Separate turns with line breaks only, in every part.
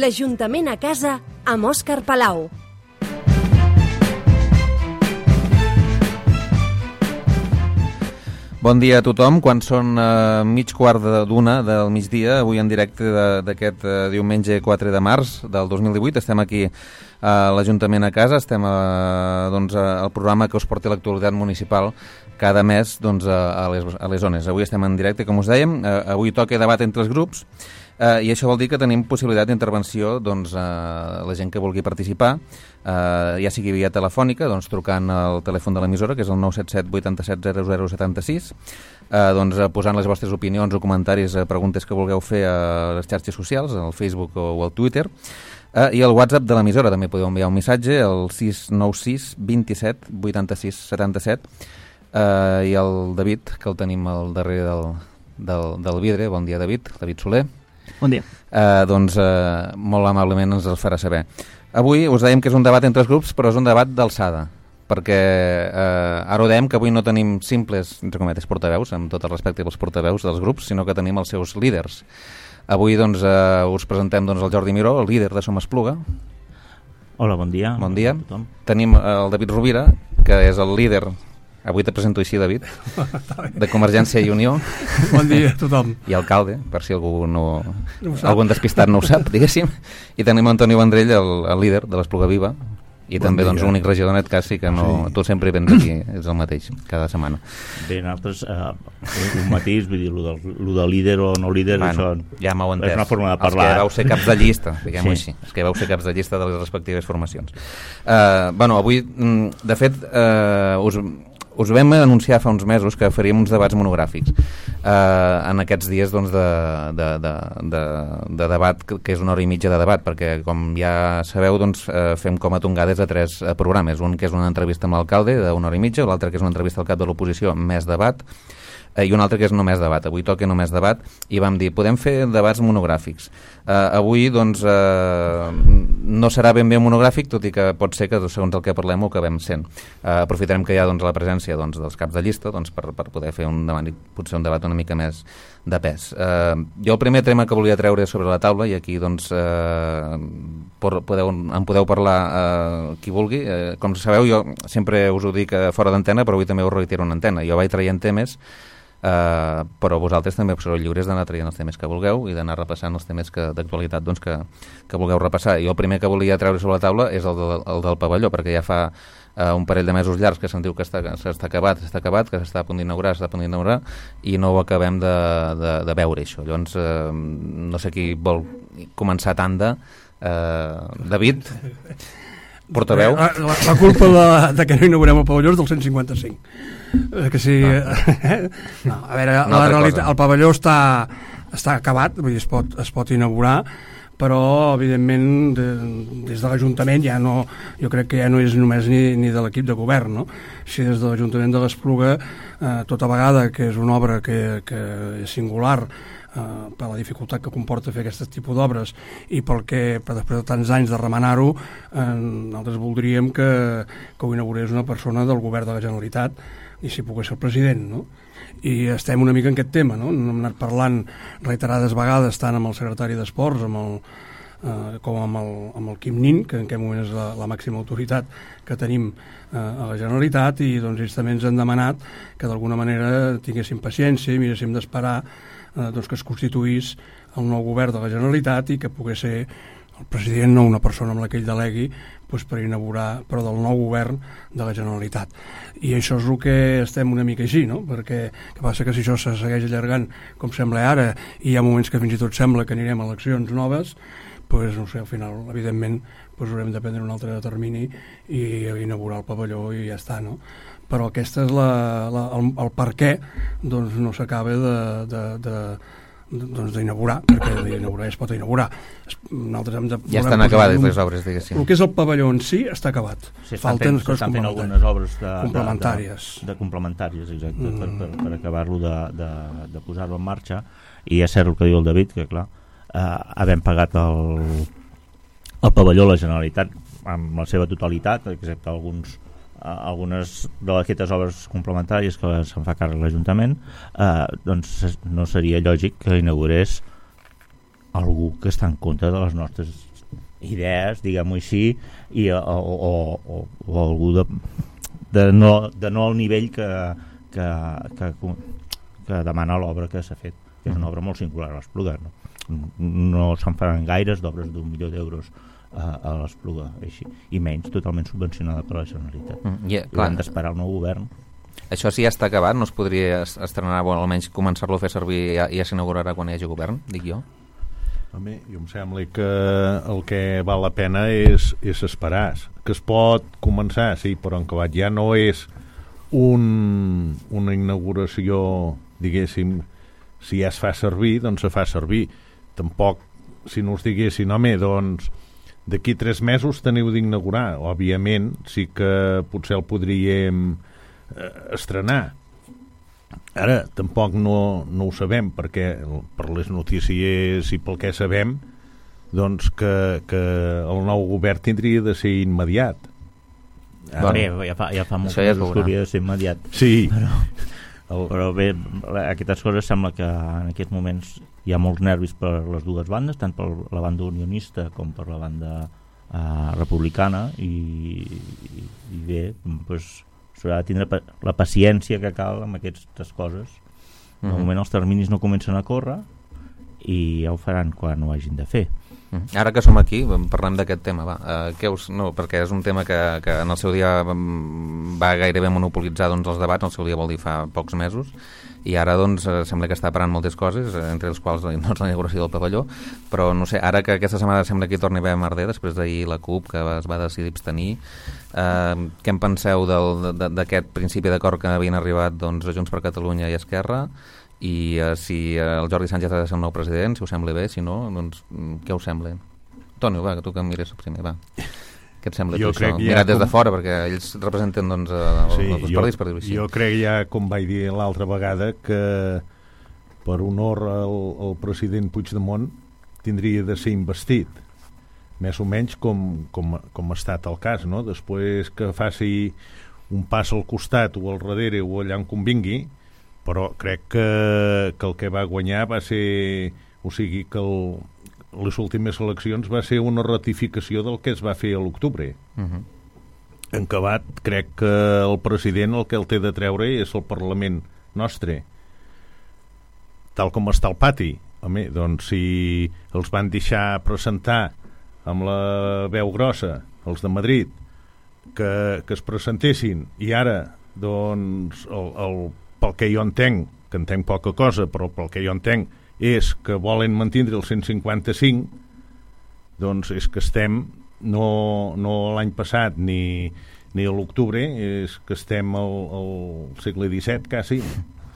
L'Ajuntament a casa amb Òscar Palau.
Bon dia a tothom, quan són mig quart d'una del migdia, avui en directe d'aquest diumenge 4 de març del 2018. Estem aquí a l'Ajuntament a casa, estem al programa que us porta l'actualitat municipal cada mes a les zones. Avui estem en directe, com us dèiem, avui toca debat entre els grups, i això vol dir que tenim possibilitat d'intervenció a la gent que vulgui participar, ja sigui via telefònica, trucant al telèfon de l'emissora, que és el 977 87 0076, posant les vostres opinions o comentaris, preguntes que vulgueu fer a les xarxes socials, al Facebook o al Twitter, i al WhatsApp de l'emissora també podeu enviar un missatge al 696 27 86 77, i el David, que el tenim al darrere del vidre. Bon dia, David Soler.
Bon dia.
Molt amablement ens els farà saber. Avui us dèiem que és un debat entre els grups, però és un debat d'alçada, perquè ara ho dèiem que avui no tenim simples, entre cometes, portaveus, amb tot el respecte pels portaveus dels grups, sinó que tenim els seus líders. Avui us presentem el Jordi Miró, el líder de Som Espluga.
Hola, bon dia.
Bon dia. Tenim el David Rovira, que és el líder, avui te presento així, David, de Convergència i Unió.
Bon dia a tothom.
I alcalde, per si algun despistat no ho sap, diguéssim. I tenim Antoni Vendrell, el líder de l'Espluga Viva, i bon també l'únic regidor, en aquest cas, sí que no, sí. Tu sempre vens aquí, és el mateix, cada setmana.
Bé, nosaltres, un matís, vull dir, lo de líder o no líder, això
ja m'heu entès.
És una forma de parlar.
Els que vau ser caps de llista, diguem-ho així, els que vau ser caps de llista de les respectives formacions. Avui, de fet, us vam anunciar fa uns mesos que faríem uns debats monogràfics en aquests dies de debat, que és una hora i mitja de debat, perquè com ja sabeu fem com a tongades a 3 programes, un que és una entrevista amb l'alcalde d'una hora i mitja, l'altre que és una entrevista al cap de l'oposició més debat, i un altre que és només debat. Avui toca només debat i vam dir, podem fer debats monogràfics. Avui no serà ben bé monogràfic, tot i que pot ser que segons el que parlem ho acabem sent. Aprofitarem que hi ha la presència dels caps de llista per poder fer potser un debat una mica més de pes. Jo el primer tema que volia treure sobre la taula, i aquí en podeu parlar qui vulgui, com sabeu jo sempre us ho dic fora d'antena, però avui també us reitero en antena. Jo vaig traient temes, però vosaltres també sereu lliures d'anar traient els temes que vulgueu i d'anar repassant els temes d'actualitat que vulgueu repassar. I el primer que volia treure sobre la taula és el del pavelló, perquè ja fa un parell de mesos llargs que se'n diu que està acabat, que s'està a punt d'inaugurar, i no ho acabem de veure, això. Llavors, no sé qui vol començar tanda. David, portaveu.
La culpa de que no inaugurem el pavelló és del 155. Que sí, no, a veure, la realitat, el pavelló està acabat, vull dir, es pot inaugurar, però evidentment des de l'Ajuntament jo crec que ja no és només ni de l'equip de govern, no? Si des de l'Ajuntament de l'Espluga, tota vegada que és una obra que és singular per la dificultat que comporta fer aquest tipus d'obres i després de tants anys de remenar-ho, nosaltres voldríem que ho inaugurés una persona del govern de la Generalitat i si pogués ser el president, no? I estem una mica en aquest tema, no? Hem anat parlant reiterades vegades tant amb el secretari d'Esports com amb el Quim Nin, que en aquest moment és la màxima autoritat que tenim a la Generalitat, i ells també ens han demanat que d'alguna manera tinguéssim paciència i miréssim d'esperar que es constituís el nou govern de la Generalitat i que pogués ser el president, no una persona amb la que ell delegui, per inaugurar, però del nou govern de la Generalitat. I això és el que estem una mica així, no? Perquè que passa que si això se segueix allargant com sembla ara, i hi ha moments que fins i tot sembla que anirem a eleccions noves, no sé, al final, evidentment, haurem de prendre un altre termini i inaugurar el pavelló i ja està, no? Però aquesta és el per què no s'acaba d'inaugurar, perquè d'inaugurar es pot inaugurar.
Ja estan acabades les obres, diguéssim.
El que és el pavelló en si està acabat.
Falten algunes obres
complementàries.
Exacte, per acabar-lo de posar-lo en marxa. I és cert el que diu el David, que clar, havent pagat el pavelló a la Generalitat amb la seva totalitat, excepte algunes d'aquestes obres complementàries que se'n fa càrrec l'Ajuntament, no seria lògic que inaugurés algú que està en contra de les nostres idees, diguem-ho així, o algú de no al nivell que demana l'obra que s'ha fet, que és una obra molt singular a l'Espluga. No se'n faran gaires d'obres d'1 milió d'euros a l'Espluga, així, i menys totalment subvencionada per la Generalitat. Hem d'esperar el nou govern.
Això sí ja està acabat, no es podria estrenar, o almenys començar-lo a fer servir i ja s'inaugurarà quan hi hagi govern, dic jo?
Home, jo em sembla que el que val la pena és esperar, que es pot començar, sí, però en acabat ja no és una inauguració, diguéssim, si ja es fa servir, doncs se fa servir. Tampoc, si no us diguessin, home, doncs d'aquí 3 mesos teniu d'inaugurar. Òbviament, sí que potser el podríem estrenar. Ara, tampoc no ho sabem, perquè per les notícies i pel que sabem, doncs que el nou govern tindria de ser immediat.
Ja fa molt que hauria de ser immediat.
Sí.
Però bé, aquestes coses sembla que en aquests moments hi ha molts nervis per les dues bandes, tant per la banda unionista com per la banda republicana, i bé, doncs s'haurà de tindre la paciència que cal amb aquestes coses. De moment els terminis no comencen a córrer i ja ho faran quan ho hagin de fer.
Ara que som aquí, parlem d'aquest tema, perquè és un tema que en el seu dia va gairebé monopolitzar els debats, el seu dia vol dir fa pocs mesos, i ara doncs sembla que està parant moltes coses, entre els quals la inauguració del pavelló, però no sé, ara que aquesta setmana sembla que hi torni a haver merder, després d'ahir la CUP que es va decidir abstenir, què en penseu d'aquest principi d'acord que havien arribat Junts per Catalunya i Esquerra, i si el Jordi Sánchez ha de ser el nou president, si us sembla bé, si no, doncs què us sembla? Toni, va, que tu que em mires primer, va. Què et sembla això? Mirat des de fora, perquè ells representen els partits, per dir-ho així.
Jo crec ja, com vaig dir l'altra vegada, que per honor al president Puigdemont tindria de ser investit, més o menys com ha estat el cas, no? Després que faci un pas al costat o al darrere o allà on convingui, però crec que el que va guanyar va ser, o sigui que les últimes eleccions va ser una ratificació del que es va fer a l'octubre. En acabat, crec que el president el que el té de treure és el Parlament nostre, tal com està el pati. Home, doncs si els van deixar presentar amb la veu grossa els de Madrid que es presentessin, i ara doncs pel que jo entenc, que entenc poca cosa, però pel que jo entenc és que volen mantindre el 155, doncs és que estem no l'any passat ni a l'octubre, és que estem al segle XVII quasi.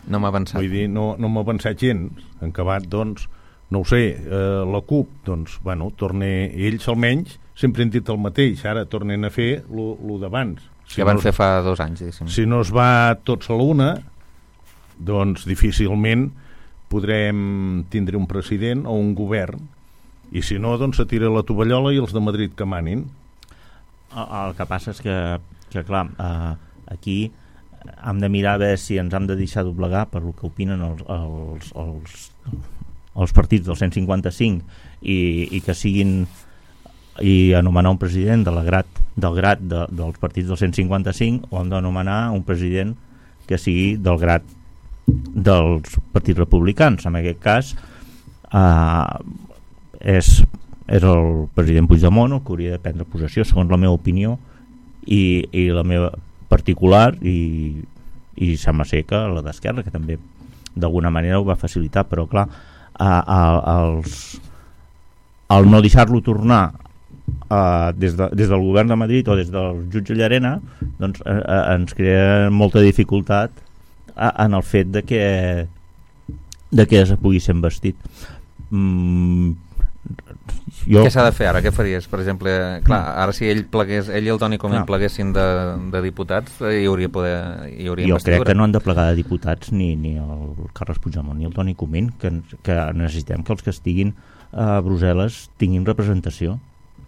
No m'ha avançat.
Vull dir, no m'ha avançat gens. En acabat, doncs, no ho sé, la CUP, doncs, bueno, ells almenys sempre han dit el mateix, ara tornen a fer lo d'abans.
Que van fer fa 2 anys, diguéssim.
Si no es va tots a l'una, doncs difícilment podrem tindre un president o un govern, i si no, doncs se tira la tovallola i els de Madrid que manin.
El que passa és que clar, aquí hem de mirar a veure si ens hem de deixar doblegar per el que opinen els partits del 155 i que siguin, i anomenar un president del grat dels partits del 155, o hem d'anomenar un president que sigui del grat dels partits republicans. En aquest cas és el president Puigdemont el que hauria de prendre possessió, segons la meva opinió i la meva particular, i sembla ser que la d'Esquerra, que també d'alguna manera ho va facilitar, però clar, el no deixar-lo tornar des del govern de Madrid o des del jutge Llarena, doncs ens crea molta dificultat en el fet de que es pugui ser investit.
Què s'ha de fer ara? Què faries? Per exemple, clar, ara si ell i el Toni Comín pleguessin de diputats, hi hauria investidura.
Jo crec que no han de plegar de diputats ni el Carles Puigdemont ni el Toni Comín, que necessitem que els que estiguin a Brussel·les tinguin representació,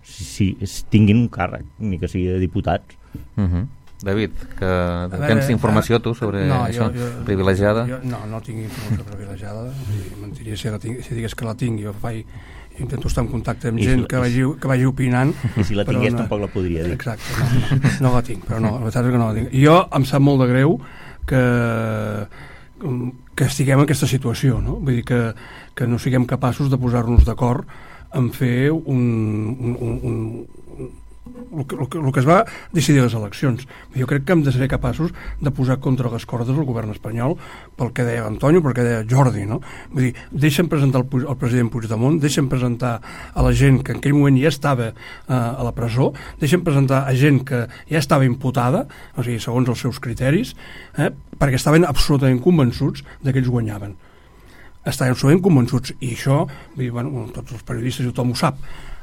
si tinguin un càrrec, ni que sigui de diputats.
David, que tens informació tu sobre això, privilegiada?
No tinc informació privilegiada, mentiria si digués que la tinc. Jo intento estar en contacte amb gent que vagi opinant.
I si la tingués tampoc la podria dir.
Exacte, no la tinc, però no, la veritat és que no la tinc. Jo em sap molt de greu que estiguem en aquesta situació, no? Vull dir que no siguem capaços de posar-nos d'acord en fer el que es va decidir a les eleccions. Jo crec que hem de ser capaços de posar contra les cordes el govern espanyol pel que deia Antonio, pel que deia Jordi, no? Vull dir, deixen presentar el president Puigdemont, deixen presentar a la gent que en aquell moment ja estava a la presó, deixen presentar a gent que ja estava imputada, o sigui, segons els seus criteris, perquè estaven absolutament convençuts de que ells guanyaven. Estaven absolutament convençuts, i això, vull dir, bueno, tots els periodistes i tothom ho sap,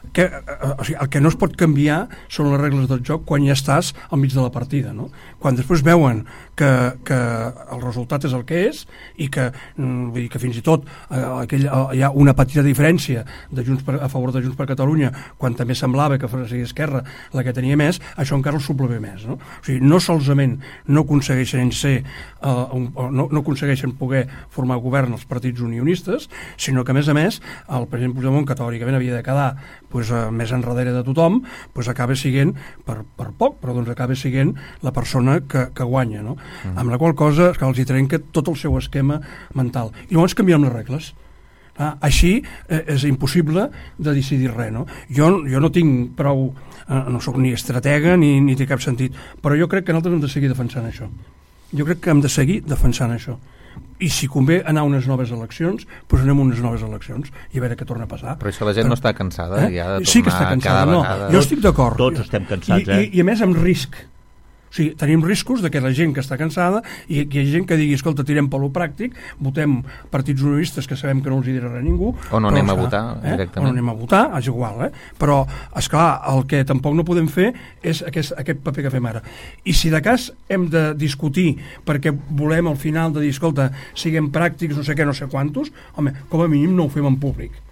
o sigui, el que no es pot canviar són les regles del joc quan ja estàs al mig de la partida, no? Quan després veuen que el resultat és el que és i que, vull dir, que fins i tot hi ha una petita diferència a favor de Junts per Catalunya, quan també semblava que fos Esquerra la que tenia més, això encara el subleva més, no? O sigui, no solament no aconsegueixen no aconsegueixen poder formar govern els partits unionistes, sinó que a més el president Puigdemont, que teòricament havia de quedar més enrere de tothom, acaba siguent per poc, però acaba siguent la persona que guanya, no? Amb la qual cosa que els hi trenca tot el seu esquema mental. I llavors canviem les regles. Així és impossible de decidir res, no? Jo no tinc prou, no sóc ni estratega ni té cap sentit, però jo crec que nosaltres hem de seguir defensant això. Jo crec que hem de seguir defensant això. I si convé anar a unes noves eleccions, doncs anem a unes noves eleccions i a veure què torna a passar.
Però això la gent no està cansada ja de tornar
sí que està cansada,
cada vegada.
Jo estic d'acord.
Tots estem cansats,
I a més amb risc. O sigui, tenim riscos de que la gent que està cansada i hi ha gent que digui, escolta, tirem per lo pràctic, votem partits unionistes que sabem que no els dirà res a ningú.
O no anem a votar directament.
O no anem a votar, és igual, Però, esclar, el que tampoc no podem fer és aquest paper que fem ara. I si de cas hem de discutir perquè volem al final de dir, escolta, siguem pràctics, no sé què, no sé quantos, home, com a mínim no ho fem en públic.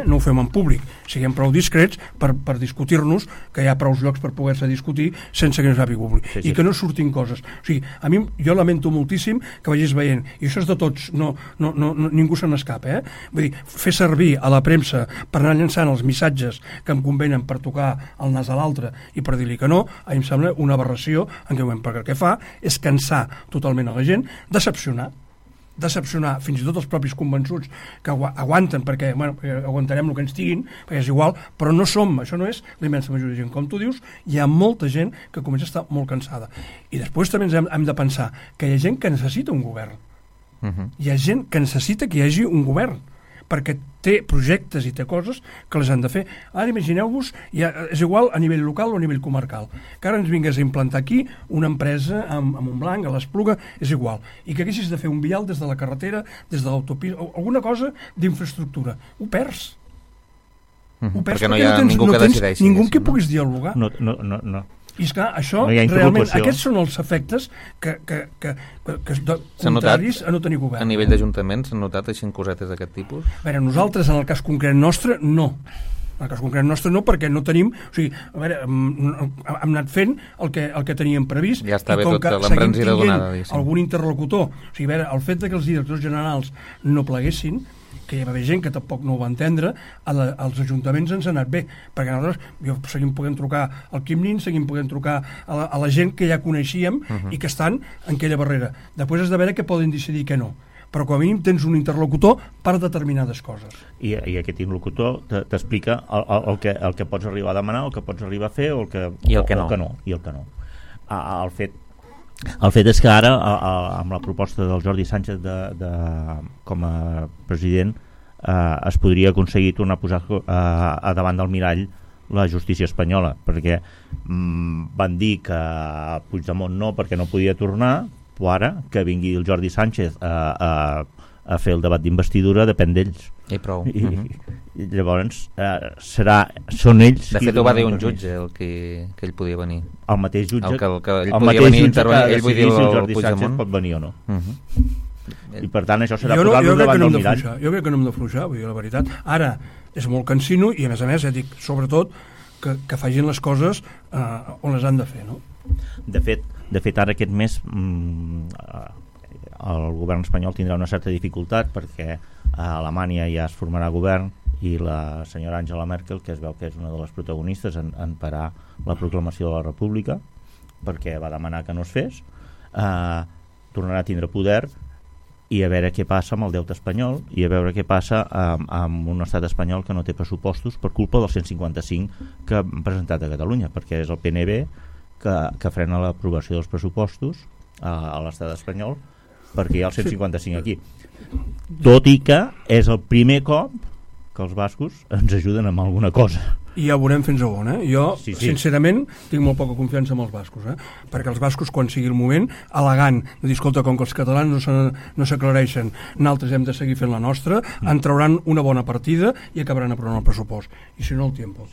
No ho fem en públic, siguem prou discrets per discutir-nos, que hi ha prou llocs per poder-se discutir sense que no s'hagi públic, i que no surtin coses. O sigui, a mi, jo lamento moltíssim que vagis veient, i això és de tots, ningú se n'escapa, Vull dir, fer servir a la premsa per anar llançant els missatges que em convenen per tocar el nas a l'altre i per dir-li que no, a mi em sembla una aberració en què perquè el que fa és cansar totalment a la gent, decepcionar fins i tot els propis convençuts que aguanten perquè aguantarem el que ens diguin, perquè és igual, però no som, això no és la immensa majoria de gent, com tu dius, hi ha molta gent que comença a estar molt cansada, i després també hem de pensar que hi ha gent que necessita un govern, hi ha gent que necessita que hi hagi un govern perquè té projectes i té coses que les han de fer. Ara imagineu-vos, és igual a nivell local o a nivell comarcal, que ara ens vingués a implantar aquí una empresa a Montblanc, a l'Espluga, és igual, i que haguessis de fer un vial des de la carretera, des de l'autopista, alguna cosa d'infraestructura. Ho perds.
Perquè no hi ha ningú que decideixi.
Ningú que puguis dialogar.
No.
I esclar, això,
realment,
aquests són els efectes que contraris a no tenir govern.
A nivell d'Ajuntament s'han notat així cosetes d'aquest tipus?
A veure, nosaltres, en el cas concret nostre, no. En el cas concret nostre no, perquè no tenim... O sigui, a veure, hem anat fent el que teníem previst.
Ja està bé tota l'embranzida donada.
Algun interlocutor. O sigui, a veure, el fet que els directors generals no pleguessin, que hi va haver gent que tampoc no ho va entendre, als ajuntaments ens ha anat bé, perquè nosaltres seguim podent trucar al Quim Nin, seguim podent trucar a la gent que ja coneixíem i que estan en aquella barrera. Després has de veure que poden decidir que no, però com a mínim tens un interlocutor per determinades coses.
I aquest interlocutor t'explica el que pots arribar a demanar, el que pots arribar a fer o el que no. El fet és que ara, amb la proposta del Jordi Sánchez com a president, es podria aconseguir tornar a posar a davant del mirall la justícia espanyola, perquè van dir que Puigdemont no, perquè no podia tornar, però ara que vingui el Jordi Sánchez a fer el debat d'investidura depèn d'ells.
I prou.
I llavors són ells...
De fet, ho va dir un jutge que ell podia venir.
El mateix jutge...
ell podia venir a intervenir, ell vull dir
si el Jordi Sánchez pot venir o no. I per tant això serà posar-lo davant del mirall.
Jo crec que no hem d'afluixar, vull dir la veritat. Ara és molt cansino i a més, dic, sobretot que facin les coses on les han de fer, no?
De fet ara aquest mes el govern espanyol tindrà una certa dificultat perquè a Alemanya ja es formarà govern i la senyora Angela Merkel, que es veu que és una de les protagonistes en parar la proclamació de la República, perquè va demanar que no es fes, tornarà a tindre poder, i a veure què passa amb el deute espanyol i a veure què passa amb un estat espanyol que no té pressupostos per culpa del 155 que han presentat a Catalunya, perquè és el PNB que frena l'aprovació dels pressupostos a l'estat espanyol perquè hi ha el 155 aquí. Tot i que és el primer cop que els bascos ens ajuden amb alguna cosa.
I ja ho veurem fins a on, Jo, sincerament, tinc molt poca confiança en els bascos, perquè els bascos, quan sigui el moment, al·legant de dir, escolta, com que els catalans no s'aclareixen, nosaltres hem de seguir fent la nostra, en trauran una bona partida i acabaran aprovant el pressupost. I si no, el tiempo.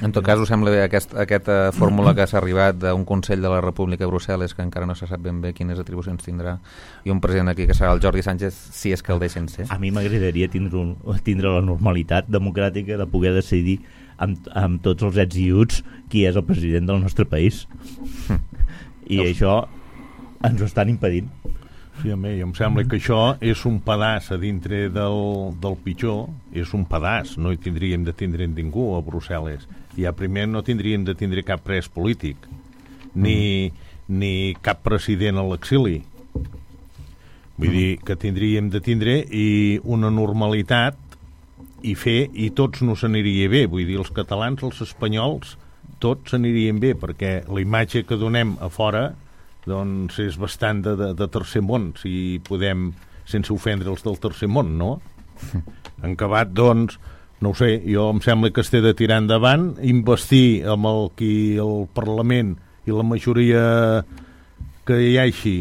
En tot cas, us sembla bé aquesta fórmula que s'ha arribat d'un Consell de la República a Brussel·les, que encara no se sap ben bé quines atribucions tindrà, i un president aquí que serà el Jordi Sánchez, si és que el deixen ser.
A mi m'agradaria tindre la normalitat democràtica de poder decidir amb tots els ets i uts qui és el president del nostre país. I això ens ho estan impedint.
Sí, home, em sembla que això és un pedaç a dintre del pitjor, és un pedaç, no hi tindríem de tindre ningú a Brussel·les. Ja primer no tindríem de tindre cap pres polític, ni cap president a l'exili. Vull dir que tindríem de tindre una normalitat i tots no s'aniria bé, vull dir, els catalans, els espanyols, tots s'anirien bé, perquè la imatge que donem a fora doncs és bastant de tercer món, si podem, sense ofendre els del tercer món, no? En acabat, doncs, no ho sé, jo em sembla que es té de tirar endavant, investir amb el Parlament i la majoria que hi hagi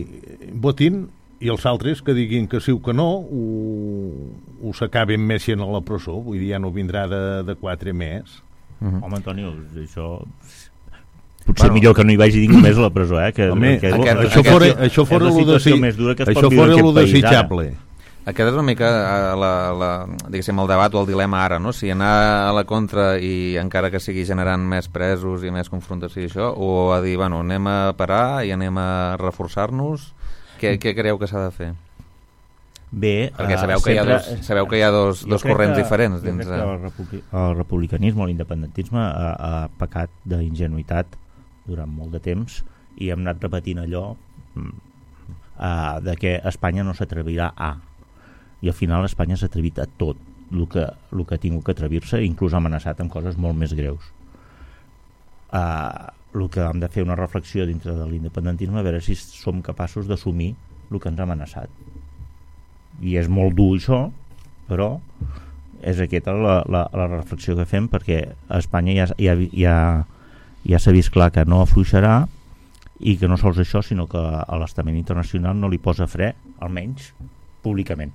votin, i els altres que diguin que sí o que no ho s'acaben més a la presó, vull dir, ja no vindrà de 4 més.
Home, Antonio, això potser millor que no hi vagi ningú més a la presó,
això fora lo desitjable.
Aquest és una mica diguéssim, el debat o el dilema ara, no? Si anar a la contra i encara que sigui generant més presos i més confrontació i això, o a dir, bueno, anem a parar i anem a reforçar-nos. Què creieu que s'ha de fer?
Bé,
perquè sabeu que hi ha dos corrents diferents dins
el republicanisme o l'independentisme ha pecat d'ingenuïtat durant molt de temps i hem anat repetint allò de que Espanya no s'atrevirà i al final Espanya s'ha atrevit a tot el que ha tingut que atrevir-se, inclús ha amenaçat amb coses molt més greus. El que hem de fer una reflexió dintre de l'independentisme a veure si som capaços d'assumir el que ens ha amenaçat, i és molt dur això, però és aquesta la reflexió que fem, perquè a Espanya ja s'ha vist clar que no afluixarà, i que no sols això, sinó que a l'estament internacional no li posa fre, almenys públicament.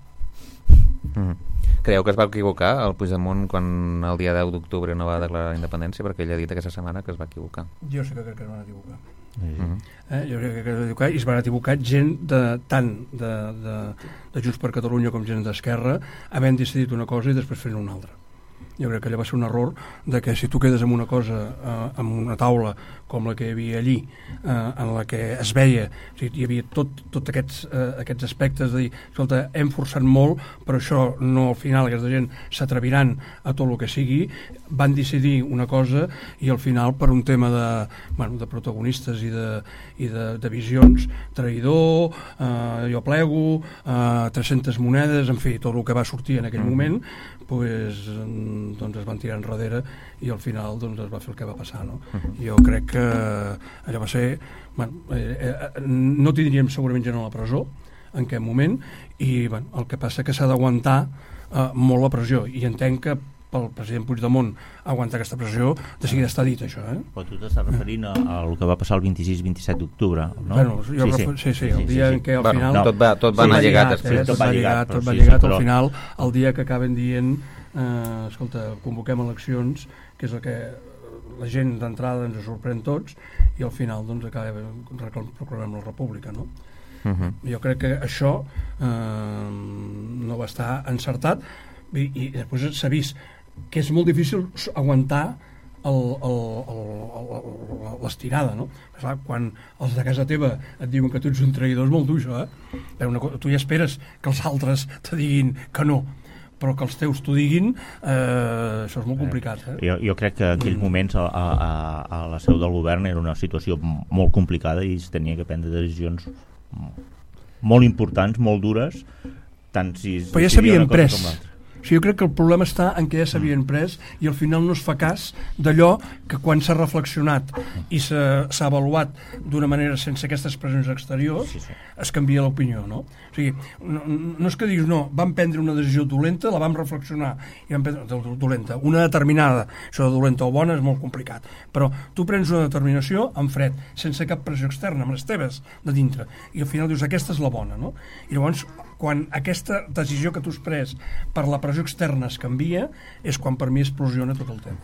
Creieu que es va equivocar el Puigdemont quan el dia 10 d'octubre no va declarar la independència, perquè ell ha dit aquesta setmana que es va equivocar?
Jo sí que crec que es van equivocar. Jo crec que es van equivocar, i es van equivocar gent tant de Junts per Catalunya com gent d'Esquerra, havent decidit una cosa i després fent una altra. Jo crec que allò va ser un error de que si tu quedes amb una cosa, amb una taula com la que hi havia allí, en la que es veia, o sigui, hi havia tot aquests aspectes de dir, escolta, hem forçat molt, però això no, al final aquesta gent s'atreviran a tot el que sigui, van decidir una cosa i al final per un tema de protagonistes i de visions, traïdor, jo plego, 300 monedes, en fi, tot el que va sortir en aquell moment, doncs es van tirar enrere i al final doncs es va fer el que va passar, no? Jo crec que allò va ser no tindríem segurament gent a la presó en aquest moment, i el que passa que s'ha d'aguantar molt la pressió, i entenc que pel president Puigdemont aguantar aquesta pressió de seguida està dit això,
Però tu t'estàs referint al que va passar el 26-27 d'octubre, no?
Bueno, sí, el dia en què al final
tot va anar lligat
tot va lligat al final, el dia que acaben dient escolta, convoquem eleccions, que és el que la gent d'entrada ens sorprèn tots, i al final doncs proclamem la república, no? Jo crec que això no va estar encertat, i després s'ha vist que és molt difícil aguantar l'estirada, no? Clar, quan els de casa teva et diuen que tu ets un traïdor és molt dur, això, Tu ja esperes que els altres te diguin que no, però que els teus t'ho diguin, això és molt complicat.
Jo crec que en aquells moments a la seu del govern era una situació molt complicada i es tenia que prendre decisions molt importants, molt dures, tant si
però ja s'havien pres. O sigui, jo crec que el problema està en què ja s'havien pres i al final no es fa cas d'allò que quan s'ha reflexionat i s'ha avaluat d'una manera sense aquestes pressions exteriors es canvia l'opinió, no? O sigui, no és que diguis, no, vam prendre una decisió dolenta, la vam reflexionar i vam prendre dolenta, una determinada, això de dolenta o bona és molt complicat, però tu prens una determinació en fred, sense cap pressió externa, amb les teves de dintre, i al final dius, aquesta és la bona, no? I llavors, quan aquesta decisió que tu has pres per la pressió externa es canvia, és quan per mi explosiona tot el tema.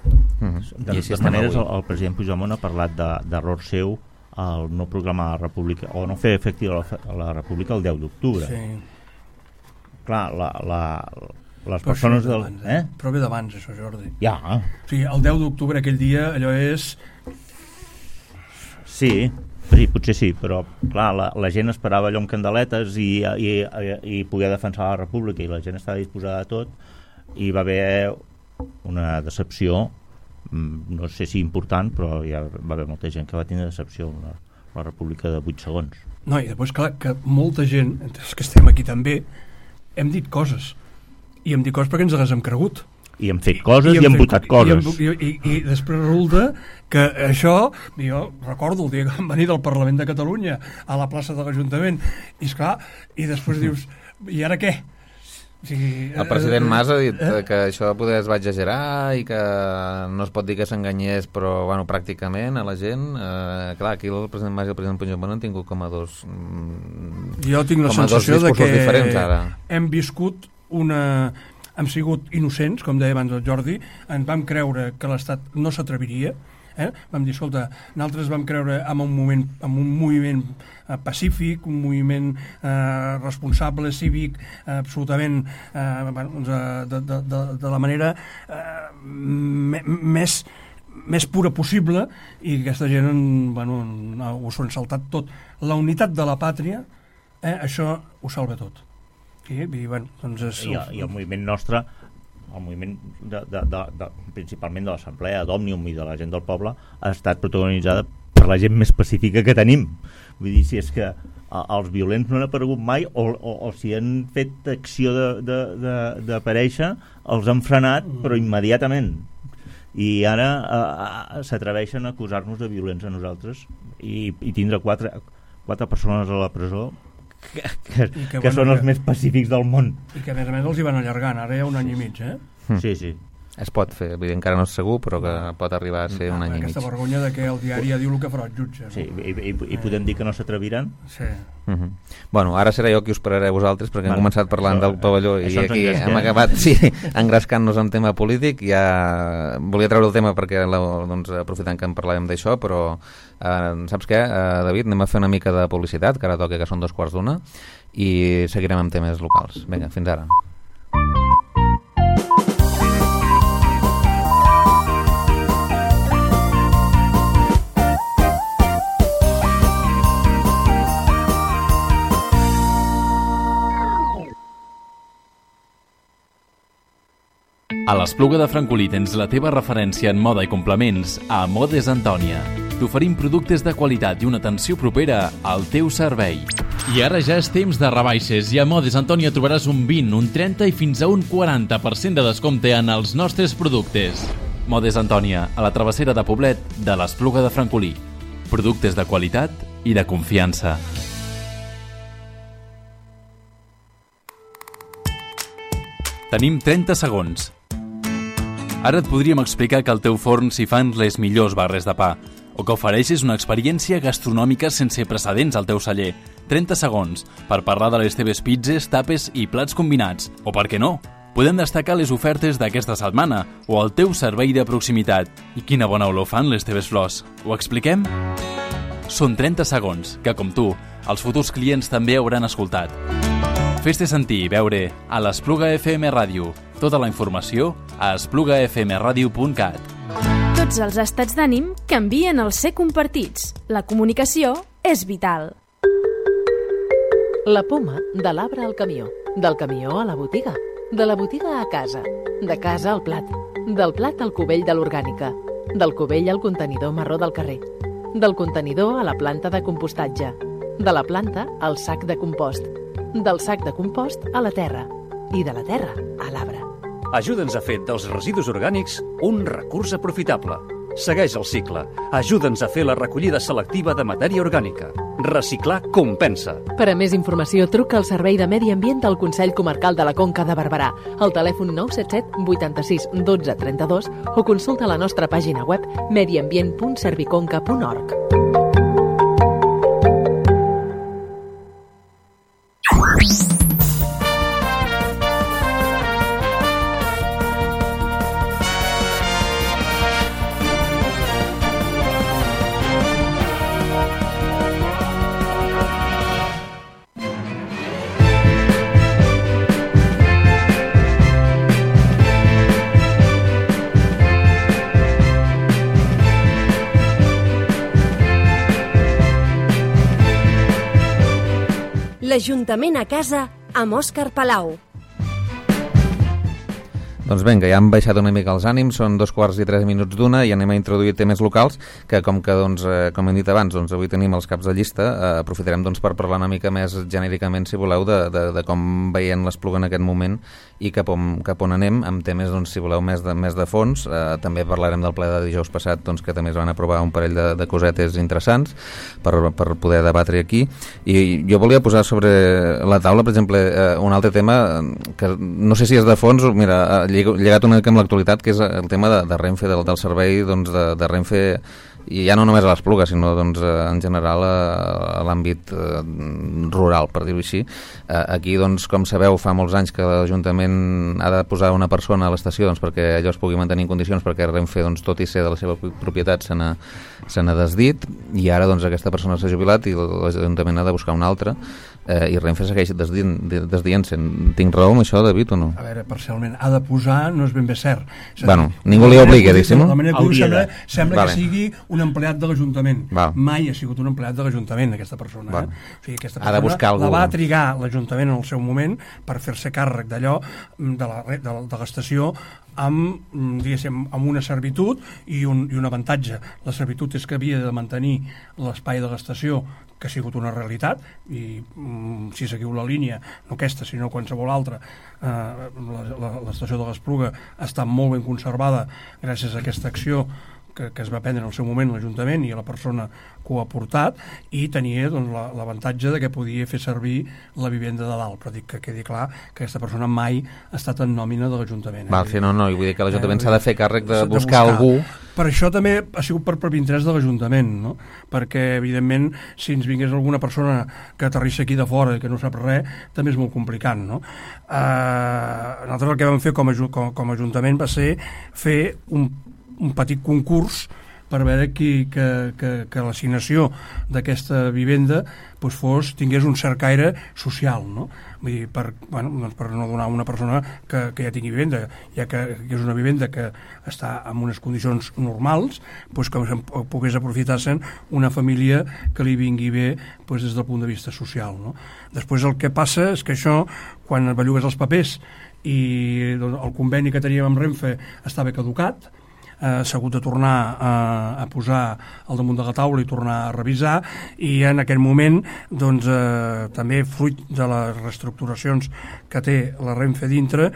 De totes maneres, el president Puigdemont ha parlat d'error seu al no programar la República, o no fer efectiva la República el 10 d'octubre.
Sí.
Clar, les persones del...
Però ve d'abans, això, Jordi.
Ja.
O sigui, el 10 d'octubre, aquell dia, allò és...
Sí, potser sí, però clar, la gent esperava allò amb candeletes i poder defensar la República, i la gent estava disposada a tot, i va haver una decepció, no sé si important, però ja va haver molta gent que va tenir decepció amb la República de 8 segons.
No, i després, clar, que molta gent, entre els que estem aquí també, hem dit coses, i hem dit coses perquè ens les hem cregut.
I hem fet coses i hem votat coses.
I després resulta que això, jo recordo el dia que vam venir del Parlament de Catalunya a la plaça de l'Ajuntament, i esclar, i després dius, i ara què? O sigui,
el president Mas ha dit que això poder es va exagerar i que no es pot dir que s'enganyés, però bueno, pràcticament a la gent, clar, aquí el president Mas i el president Puigdemont han tingut com a dos
jo tinc la sensació de que
diferents, ara.
Hem viscut hem sigut innocents, com deia abans el Jordi, ens vam creure que l'Estat no s'atreviria, vam dir, escolta, nosaltres vam creure en un moviment pacífic, un moviment responsable, cívic, absolutament de la manera més pura possible, i aquesta gent ho s'ho han saltat tot. La unitat de la pàtria, això ho salva tot. I
el moviment nostre, el moviment principalment de l'Assemblea d'Òmnium i de la gent del poble, ha estat protagonitzada per la gent més pacífica que tenim. Vull dir, si és que els violents no han aparegut mai, o si han fet acció d'aparèixer, els han frenat, però immediatament. I ara s'atreveixen a acusar-nos de violents a nosaltres i tindre quatre persones a la presó que són els més pacífics del món.
I que a més els hi van allargant, ara hi ha un any i mig,
Sí.
Es pot fer, vull dir, encara no és segur, però que pot arribar a ser un any i mig.
Aquesta vergonya de que el diari ja diu el que farà el jutge.
Sí, i podem dir que no s'atreviran?
Sí.
Bueno, ara serà jo qui us pararé a vosaltres, perquè hem començat parlant del pavelló i aquí hem acabat engrescant-nos en tema polític. Ja volia treure el tema perquè, aprofitant que en parlàvem d'això, però saps què, David? Anem a fer una mica de publicitat, que ara toca, que són 2:15, i seguirem amb temes locals. Vinga, fins ara.
A l'Espluga de Francolí tens la teva referència en moda i complements a Modes Antònia. T'oferim productes de qualitat i una atenció propera al teu servei. I ara ja és temps de rebaixes i a Modes Antònia trobaràs un 20, un 30 i fins a un 40% de descompte en els nostres productes. Modes Antònia, a la travessera de Poblet de l'Espluga de Francolí. Productes de qualitat i de confiança. Tenim 30 segons. Ara et podríem explicar que al teu forn s'hi fan les millors barres de pa, o que ofereixes una experiència gastronòmica sense precedents al teu celler. 30 segons per parlar de les teves pizzas, tapes i plats combinats. O per què no? Podem destacar les ofertes d'aquesta setmana o el teu servei de proximitat. I quina bona olor fan les teves flors. Ho expliquem? Són 30 segons que, com tu, els futurs clients també hauran escoltat. Fes-te sentir i veure a l'Espluga FM Ràdio. Tota la informació a esplugafmradio.cat.
Tots els estats d'ànim canvien al ser compartits. La comunicació és vital.
La poma, de l'arbre al camió, del camió a la botiga. De la botiga a casa, de casa al plat, del plat al cubell de l'orgànica, del cubell al contenidor marró del carrer, del contenidor a la planta de compostatge, de la planta al sac de compost, del sac de compost a la terra i de la terra a l'arbre.
Ajuda'ns a fer dels residus orgànics un recurs aprofitable. Segueix el cicle. Ajuda'ns a fer la recollida selectiva de matèria orgànica. Reciclar compensa.
Per a més informació, truca al Servei de Medi Ambient del Consell Comarcal de la Conca de Barberà al telèfon 977 86 12 32 o consulta la nostra pàgina web mediambient.serviconca.org.
L'Ajuntament a casa amb Òscar Palau.
Doncs vinga, ja han baixat una mica els ànims, són 2:03 i anem a introduir temes locals que, com hem dit abans, avui tenim els caps de llista. Aprofitarem per parlar una mica més genèricament, si voleu, de com veiem l'Espluga en aquest moment i cap on anem, amb temes, si voleu, més de fons. També parlarem del ple de dijous passat, que també es van aprovar un parell de cosetes interessants per poder debatre aquí. I jo volia posar sobre la taula, per exemple, un altre tema que no sé si és de fons, mira, lligat una mica amb l'actualitat, que és el tema de Renfe, del servei de Renfe, i ja no només a l'Espluga, sinó en general a l'àmbit rural, per dir-ho així. Aquí, com sabeu, fa molts anys que l'Ajuntament ha de posar una persona a l'estació perquè allò es pugui mantenir en condicions, perquè Renfe, tot i ser de la seva propietat, se n'ha desdit, i ara aquesta persona s'ha jubilat i l'Ajuntament ha de buscar una altra, i Renfe segueix desdient-se. Tinc raó amb això, David, o no?
A veure, parcialment, ha de posar no és ben bé cert.
Bueno, ningú li obliga, diguéssim.
La manera que sembla que sigui un empleat de l'Ajuntament. Mai ha sigut un empleat de l'Ajuntament, aquesta persona. O sigui, aquesta persona la va trigar l'Ajuntament en el seu moment per fer-se càrrec d'allò, de l'estació, amb una servitud i un avantatge. La servitud és que havia de mantenir l'espai de l'estació, que ha sigut una realitat, i si seguiu la línia, no aquesta, sinó qualsevol altra, l'estació de l'Espluga està molt ben conservada gràcies a aquesta acció que es va prendre en el seu moment l'Ajuntament i a la persona que ho ha portat, i tenia l'avantatge de que podia fer servir la vivenda de dalt, però dic que quedi clar que aquesta persona mai ha estat en nòmina de l'Ajuntament.
No, i vull dir que l'Ajuntament s'ha de fer càrrec de buscar algú.
Per això també ha sigut per interès de l'Ajuntament, no? Perquè, evidentment, si ens vingués alguna persona que aterrissa aquí de fora i que no sap res, també és molt complicat, no? Nosaltres el que vam fer com a Ajuntament va ser fer un petit concurs per veure que l'assignació d'aquesta vivenda tingués un cert caire social, no? Vull dir, per no donar a una persona que ja tingui vivenda, ja que és una vivenda que està en unes condicions normals, que pogués aprofitar-se'n una família que li vingui bé des del punt de vista social, no? Després el que passa és que això, quan bellugues els papers i el conveni que teníem amb Renfe estava caducat, s'ha hagut de tornar a posar al damunt de la taula i tornar a revisar, i en aquest moment també fruit de les reestructuracions que té la Renfe dintre,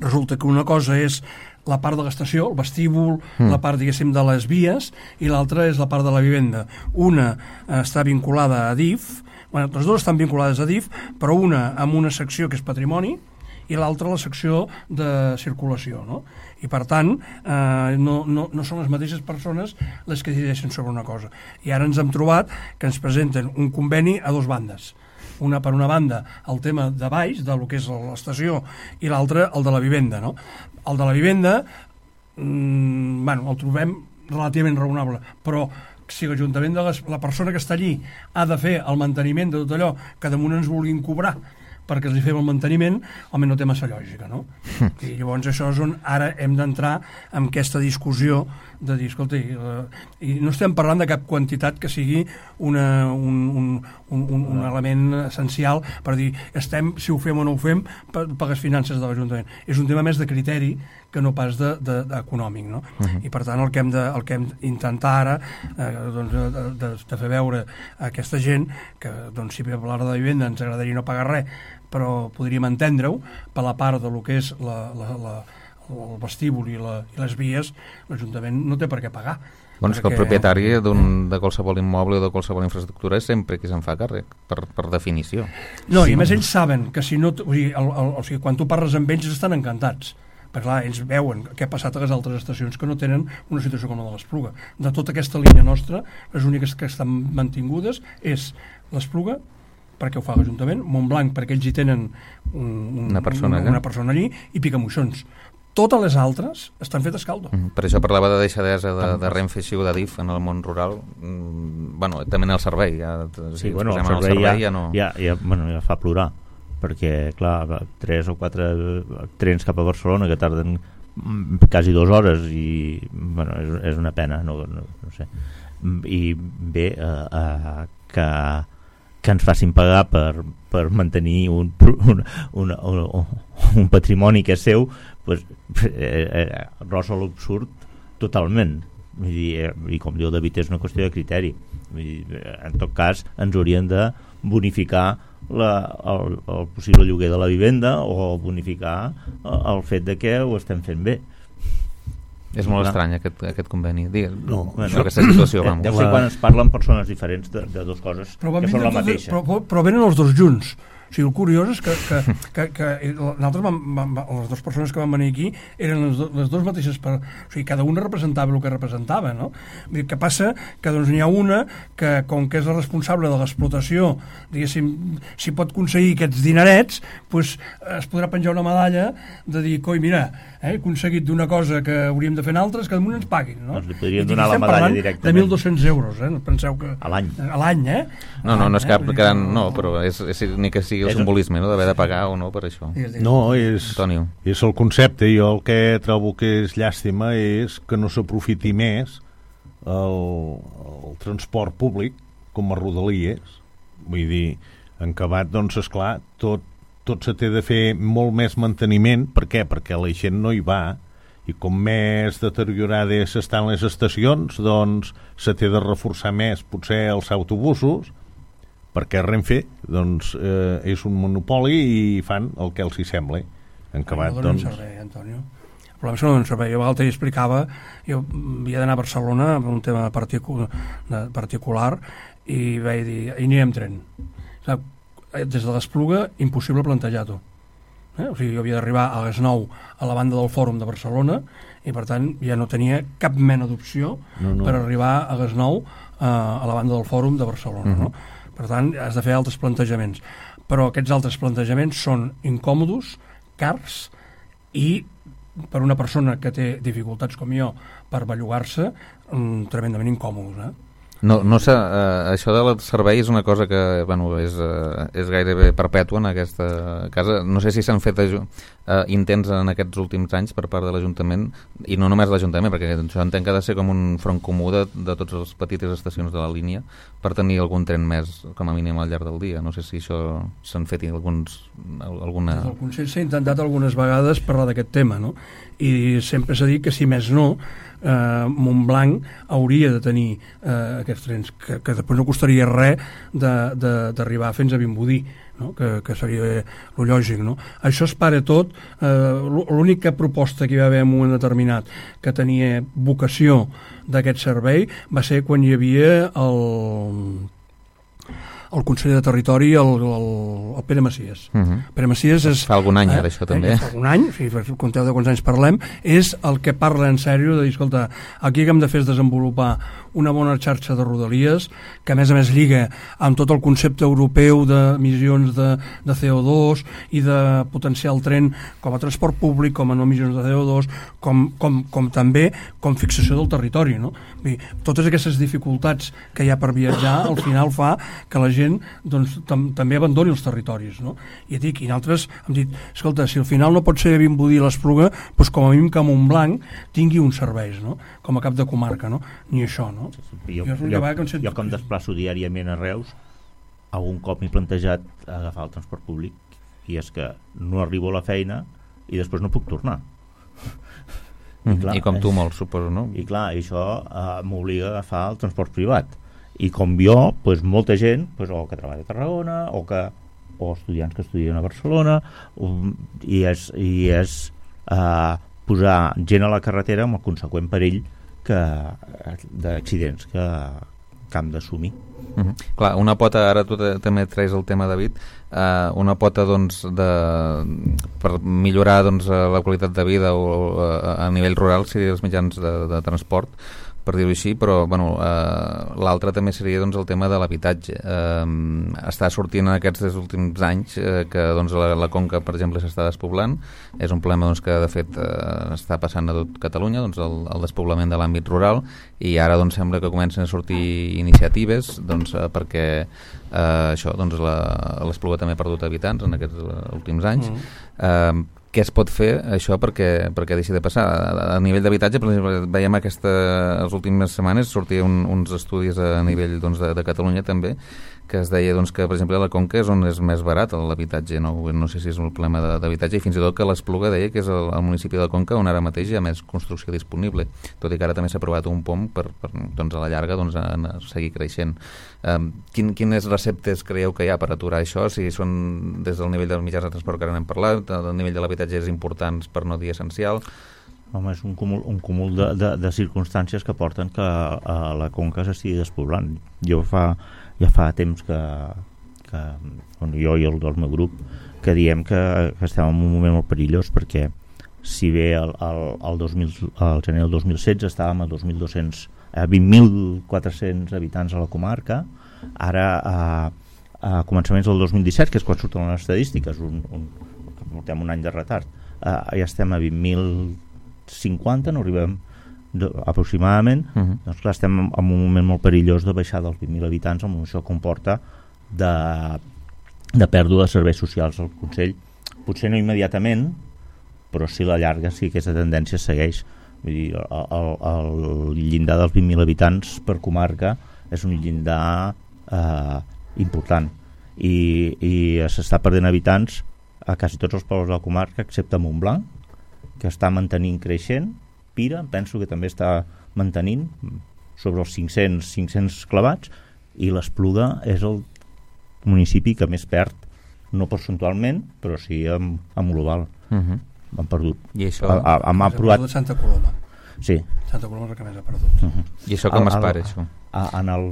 resulta que una cosa és la part de l'estació, el vestíbul, la part, diguéssim, de les vies, i l'altra és la part de la vivenda. Una està vinculada a DIF, les dues estan vinculades a DIF, però una amb una secció que és patrimoni i l'altra la secció de circulació, no? I per tant no són les mateixes persones les que decideixen sobre una cosa. I ara ens hem trobat que ens presenten un conveni a dues bandes. Per una banda el tema de baix, del que és l'estació, i l'altra el de la vivenda, no? El de la vivenda el trobem relativament raonable, però si l'Ajuntament la persona que està allí ha de fer el manteniment de tot allò que damunt ens vulguin cobrar perquè els hi fem el manteniment, almenys no té massa lògica, no? I llavors això és on ara hem d'entrar en aquesta discussió de dir, escolta, i no estem parlant de cap quantitat que sigui un element essencial per dir, si ho fem o no ho fem per les finances de l'Ajuntament. És un tema més de criteri que no pas d'econòmic, no? I per tant el que hem d'intentar ara de fer veure a aquesta gent que si per parlar de vivenda ens agradaria no pagar res, però podríem entendre-ho per la part del que és el vestíbul i les vies, l'Ajuntament no té per què pagar.
Doncs que el propietari de qualsevol immoble o de qualsevol infraestructura és sempre qui se'n fa càrrec, per definició.
No, i a més ells saben que si no... O sigui, quan tu parles amb ells estan encantats, perquè clar, ells veuen què ha passat a les altres estacions que no tenen una situació com la de l'Espluga. De tota aquesta línia nostra, les úniques que estan mantingudes és l'Espluga, perquè ho fa l'Ajuntament, Montblanc perquè ells hi tenen una persona allí, i Picamoixons. Totes les altres estan fetes caldo.
Per això parlava de deixadesa de Renfe i de DIF en el món rural. Bueno, també en el servei. El servei
ja fa plorar, perquè, clar, 3 o 4 trens cap a Barcelona que tarden quasi 2 hores i, bueno, és una pena, no sé. I bé, que ens facin pagar per mantenir un patrimoni que és seu, pues, rosa l'absurd totalment. I com diu David, és una qüestió de criteri. En tot cas, ens haurien de bonificar el possible lloguer de la vivenda o bonificar el fet de que ho estem fent bé.
És molt estrany aquest conveni. Aquesta situació, vamos.
Deu ser quan es parlen persones diferents de dues coses que són la mateixa.
Però venen els dos junts. O sigui, el curiós és que nosaltres les dues persones que van venir aquí eren les dues mateixes, o sigui, cada una representava el que representava, no? Vull dir, que passa que doncs n'hi ha una que, com que és la responsable de l'explotació, diguéssim, si pot aconseguir aquests dinerets, doncs es podrà penjar una medalla de dir, coi, mira, he aconseguit d'una cosa que hauríem de fer altres, que damunt ens paguin, no?
Doncs li podrien donar la medalla directament.
De 1.200 euros, no penseu que...
A l'any.
A l'any,
No és cap gran... No, però és ni que sigui el simbolisme, no?, d'haver de pagar o no per això.
No, és el concepte. Jo el que trobo que és llàstima és que no s'aprofiti més el transport públic com a rodalies. Vull dir, en acabat, doncs, esclar, tot se té de fer molt més manteniment. Per què? Perquè la gent no hi va, i com més deteriorades estan les estacions, doncs se té de reforçar més potser els autobusos, perquè Renfe doncs, és un monopoli i fan el que els hi sembla. En acabat,
no donen servei, Antonio. El problema és que no donen servei. Jo l'altre dia explicava, jo havia d'anar a Barcelona per un tema particular i vaig dir, hi anirem tren. Des de l'Espluga, impossible plantejar-ho. O sigui, jo havia d'arribar a les 9 a la banda del Fòrum de Barcelona i per tant ja no tenia cap mena d'opció per arribar a les 9 a la banda del Fòrum de Barcelona, no? Per tant, has de fer altres plantejaments. Però aquests altres plantejaments són incòmodos, cars i, per una persona que té dificultats com jo per bellugar-se, tremendament incòmodos,
No sé, això del servei és una cosa que és gairebé perpètua en aquesta casa. No sé si s'han fet intents en aquests últims anys per part de l'Ajuntament, i no només l'Ajuntament, perquè això entenc que ha de ser com un front comú de totes les petites estacions de la línia per tenir algun tren més, com a mínim al llarg del dia. No sé si això s'han fet alguna...
El Consell s'ha intentat algunes vegades parlar d'aquest tema, no? I sempre s'ha dit que si més no Montblanc hauria de tenir aquests trens, que després no costaria res d'arribar fins a Vimbodí, no? Que seria lo lògic, no? Això es para tot. L'única proposta que hi va haver en un moment determinat que tenia vocació d'aquest servei va ser quan hi havia el conseller de Territori, el Pere Macias. Pere Macias és...
Fa algun any, d'això, també.
Fa algun any, si compteu de quants anys parlem, és el que parla en sèrio de dir, escolta, aquí el que hem de fer és desenvolupar una bona xarxa de rodalies, que a més lliga amb tot el concepte europeu d'emissions de CO2 i de potenciar el tren com a transport públic, com a no emissions de CO2, com també com fixació del territori, no? Totes aquestes dificultats que hi ha per viatjar, al final fa que la gent gent doncs, també abandoni els territoris, no? I dic, i nosaltres hem dit, escolta, si al final no pot ser Vimbodí l'Espluga, doncs com a mínim que Montblanc tingui uns serveis, no? Com a cap de comarca, no? Ni això, no?
Jo que em desplaço diàriament a Reus, algun cop m'he plantejat agafar el transport públic, i és que no arribo a la feina i després no puc tornar.
I com tu molt, suposo, no?
I clar, això m'obliga a agafar el transport privat. I com jo, doncs, molta gent, doncs, o que treballa a Tarragona, o estudiants que estudien a Barcelona, i és posar gent a la carretera amb el conseqüent perill d'accidents que hem d'assumir.
Clar, una pota, ara tu també treus el tema, David, una pota doncs, per millorar doncs, la qualitat de vida o a nivell rural seria els mitjans de transport, per dir-ho així, però bueno, l'altre també seria doncs, el tema de l'habitatge. Està sortint en aquests últims anys que doncs, la Conca, per exemple, s'està despoblant. És un problema doncs, que de fet està passant a tot Catalunya, doncs, el despoblament de l'àmbit rural, i ara doncs, sembla que comencen a sortir iniciatives doncs, perquè això, doncs, l'Espluga també ha perdut habitants en aquests últims anys. Què es pot fer això perquè deixi de passar? A nivell d'habitatge, per exemple, veiem les últimes setmanes sortir uns estudis a nivell doncs, de Catalunya també, que es deia doncs, que per exemple a la Conca és on és més barat l'habitatge, no sé si és un problema d'habitatge, i fins i tot que l'Espluga deia que és el municipi de la Conca on ara mateix hi ha més construcció disponible, tot i que ara també s'ha aprovat un POM per doncs, a la llarga doncs, seguir creixent. Quines receptes creieu que hi ha per aturar això, si són des del nivell dels mitjans de transport que ara n'hem parlat, el nivell de l'habitatge és important per no dir essencial?
Home, és un cúmul de circumstàncies que porten que la Conca s'estigui despoblant. Ja fa temps que jo i el del meu grup que diem que estem en un moment molt perillós, perquè si bé el gener del 2016 estàvem a 20.400 habitants a la comarca, ara a començaments del 2017, que és quan surten les estadístiques, que portem un any de retard, ja estem a 20.050, no arribem aproximadament. Doncs clar, estem en un moment molt perillós de baixar dels 20.000 habitants, amb això comporta de pèrdua de serveis socials al Consell. Potser no immediatament, però sí a la llarga sí que aquesta tendència segueix. Vull dir, el llindar dels 20.000 habitants per comarca és un llindar important, i s'està perdent habitants a quasi tots els pobles de la comarca, excepte Montblanc, que està mantenint creixent. Pira, penso que també està mantenint sobre els 500 clavats, i l'Espluga és el municipi que més perd, no percentualment, però sí en global. Han perdut.
I això...
Hem aprovat Santa Coloma.
Sí.
Santa Coloma és el que més ha perdut.
I això com es para, això?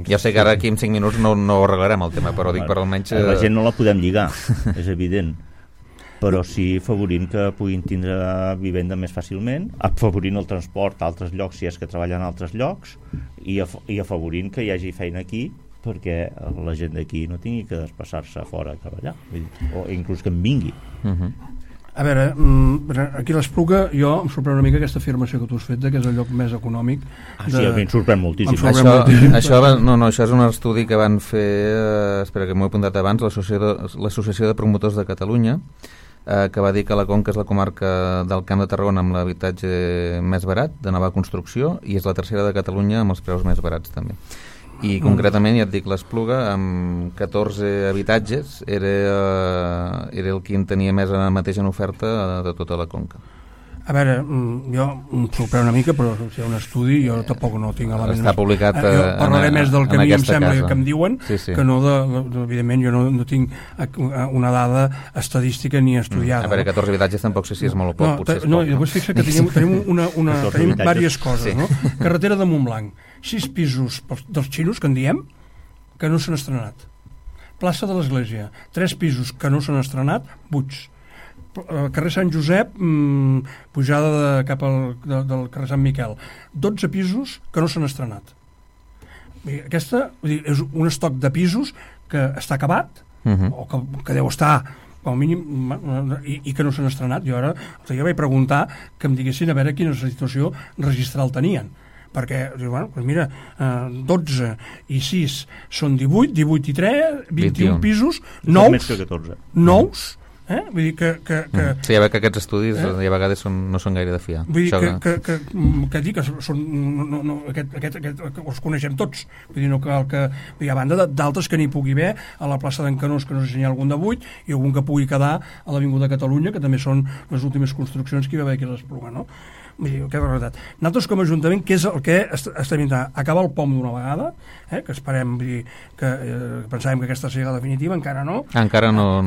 Ja sé que ara aquí en 5 minuts no ho arreglarem el tema, però dic per almenys...
La gent no la podem lligar, és evident, però sí afavorint que puguin tindre vivenda més fàcilment, afavorint el transport a altres llocs si és que treballen a altres llocs, i afavorint que hi hagi feina aquí perquè la gent d'aquí no tingui que desplaçar-se fora a treballar, o inclús que en vingui.
A veure, aquí a l'Espluga jo em sorprèn una mica aquesta afirmació que tu has fet que és el lloc més econòmic.
Sí, a mi em sorprèn moltíssim.
Això és un estudi que van fer, espera que m'ho he apuntat abans, l'Associació de Promotors de Catalunya, que va dir que la Conca és la comarca del Camp de Tarragona amb l'habitatge més barat, de nova construcció, i és la tercera de Catalunya amb els preus més barats també. I concretament, ja et dic, l'Espluga amb 14 habitatges era el que en tenia més ara mateix en oferta de tota la Conca.
A veure, jo em sorprèn una mica, però si hi ha un estudi jo tampoc no tinc elements.
Està publicat
parlaré més del que a mi em sembla que em diuen,
sí.
que no evidentment jo no tinc una dada estadística ni estudiada.
A veure, 14 habitatges tampoc sé si és molt o poc, potser és poc.
No, i després fixa que tenim tenim diverses coses, no? Carretera de Montblanc, 6 pisos dels xinos, que en diem, que no s'han estrenat. Plaça de l'Església, 3 pisos que no s'han estrenat, buits. Carrer Sant Josep, pujada cap del carrer Sant Miquel, 12 pisos que no s'han estrenat. Aquesta és un estoc de pisos que està acabat, o que deu estar com a mínim, i que no s'han estrenat. Jo ara vaig preguntar que em diguessin a veure quina situació registral tenien. perquè, bueno, doncs mira, 12 i 6 són 18, 18 i 3, 21 pisos, nous,
més que 14.
Nous, vull dir que
sí, ja veig que aquests estudis a vegades no són gaire de fiar.
Vull dir que dic que són, els coneixem tots, vull dir, no cal que hi ha banda d'altres que n'hi pugui haver a la plaça d'en Canós, que no sé si hi ha algun de 8, i algun que pugui quedar a l'Avinguda Catalunya, que també són les últimes construccions que hi va haver aquí a l'Espluga, no? Vull dir, que és la veritat. Nosaltres com a Ajuntament, què és el que estem intentant? Acabar el POM d'una vegada, que esperem, vull dir, que pensàvem que aquesta seria la definitiva, encara no.
Encara no.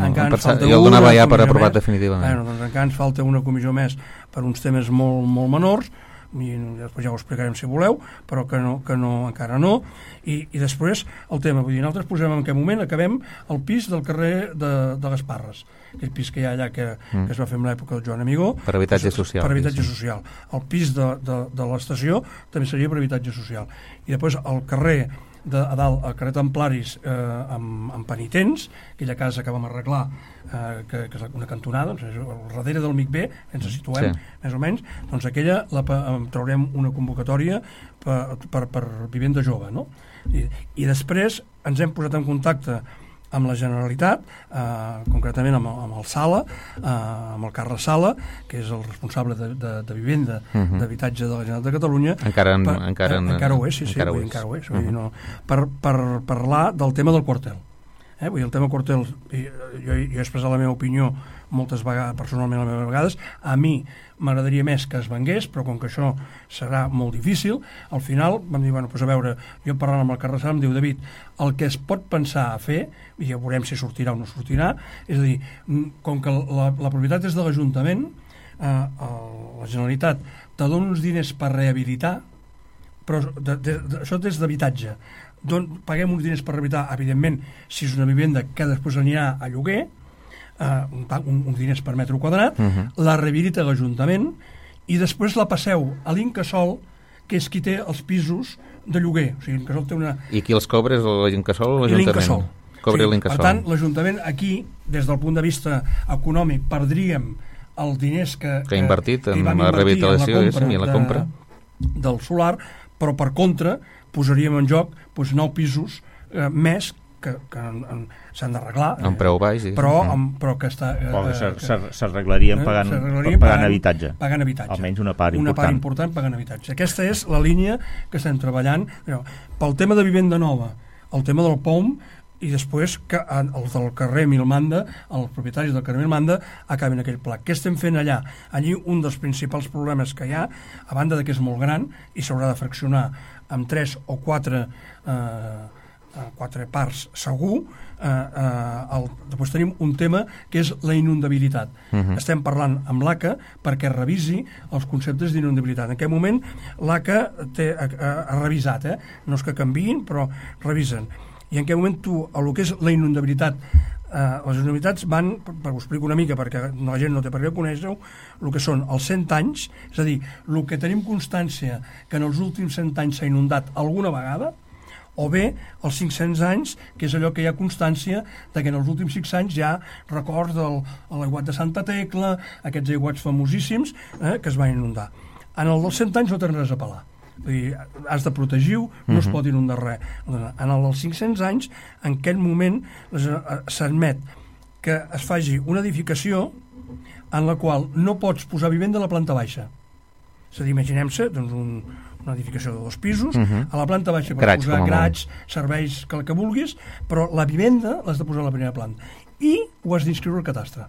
Jo el donava ja per aprovat definitivament.
Doncs encara ens falta una comissió més per uns temes molt, molt menors, i després ja ho explicarem si voleu, però que no, encara no. I després el tema, vull dir, nosaltres posem en aquest moment, acabem el pis del carrer de les Parres, aquell pis que hi ha allà que es va fer en l'època del Joan Amigó,
per habitatge social.
Per habitatge social. El pis de l'estació també seria per habitatge social. I després el carrer a dalt, al carrer Templaris, amb penitents, aquella casa que vam arreglar, que és una cantonada, doncs, al darrere del MIC-B, ens situem, més o menys, doncs aquella traurem una convocatòria per vivenda jove, no? I després ens hem posat en contacte amb la Generalitat, concretament amb el Sala, amb el Carles Sala, que és el responsable de vivenda d'habitatge de la Generalitat de Catalunya. Encara ho és, sí, encara ho és. Per parlar del tema del quartel. Vull dir, el tema quartel, jo he expressat la meva opinió moltes vegades, personalment a vegades, a mi m'agradaria més que es vengués, però com que això serà molt difícil, al final vam dir, bueno, doncs a veure, jo parlant amb el Carles Sala em diu, David, el que es pot pensar a fer, i ja veurem si sortirà o no sortirà, és a dir, com que la propietat és de l'Ajuntament, la Generalitat te dona uns diners per rehabilitar, però això és d'habitatge, paguem uns diners per rehabilitar, evidentment, si és una vivenda que després anirà a lloguer, uns diners per metre quadrat, la rehabilita l'Ajuntament i després la passeu a l'Incasòl, que és qui té els pisos de lloguer. O sigui, l'Incasòl té una...
I qui els cobra és l'Incasòl o l'Ajuntament? Cobra l'Incasòl.
Per tant, l'Ajuntament aquí, des del punt de vista econòmic, perdríem els diners que
ha invertit en la rehabilitació i en la compra
del solar, però per contra posaríem en joc 9 pisos més que s'han d'arreglar
amb preu baix
però que està
s'arreglarien pagant habitatge, almenys una part
important pagant habitatge. Aquesta és la línia que estem treballant pel tema de vivenda nova, el tema del POM, i després que els del carrer Milmanda, els propietaris del carrer Milmanda acabin aquell pla. Què estem fent allà? Allí un dels principals problemes que hi ha, a banda de que és molt gran i s'haurà de fraccionar amb 3 o 4 parts segur, després tenim un tema que és la inundabilitat. Estem parlant amb l'ACA perquè revisi els conceptes d'inundabilitat. En aquest moment l'ACA ha revisat, no és que canviïn, però revisen. I en aquest moment el que és la inundabilitat, les inundabilitats van, per ho explico una mica perquè la gent no té per què conèixer-ho, el que són els 100 anys, és a dir, el que tenim constància que en els últims 100 anys s'ha inundat alguna vegada, o bé els 500 anys, que és allò que hi ha constància de que en els últims 5 anys hi ha records de l'aiguat de Santa Tecla, aquests aiguats famosíssims que es van inundar. En el dels 100 anys no tens res a pelar. Vull dir, has de protegir-ho, no es pot inundar res. En els 500 anys, en aquest moment s'admet que es faci una edificació en la qual no pots posar vivenda a la planta baixa. És a dir, imaginem-se una edificació de 2 pisos, a la planta baixa per posar grats, serveis, que vulguis, però la vivenda l'has de posar a la primera planta. I ho has d'inscriure al cadastre.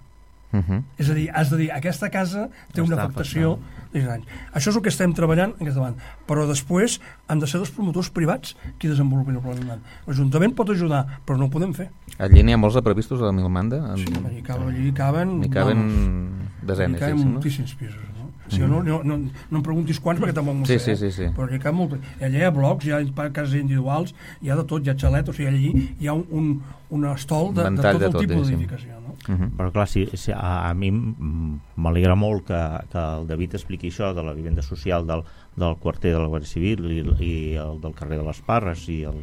És a dir, has de dir, aquesta casa té una afectació de 10 anys. Això és el que estem treballant en aquesta banda. Però després han de ser els promotors privats qui desenvolupin el pla. L'Ajuntament pot ajudar, però no ho podem fer.
Allí n'hi ha molts de previstos a la Milmanda?
Sí, allí caben
desenes.
Hi caben moltíssims pisos. Sí, no em preguntis quants perquè tampoc m'ho sé, però hi ha molt. Allà hi ha blocs, hi ha cases individuals, hi ha de tot, hi ha xalet, o sigui, allí hi ha un estol de tot el tipus d'edificació.
Però clar, a mi m'alegra molt que el David expliqui això de la vivenda social del quarter de la Guàrdia Civil i el del carrer de les Parres i el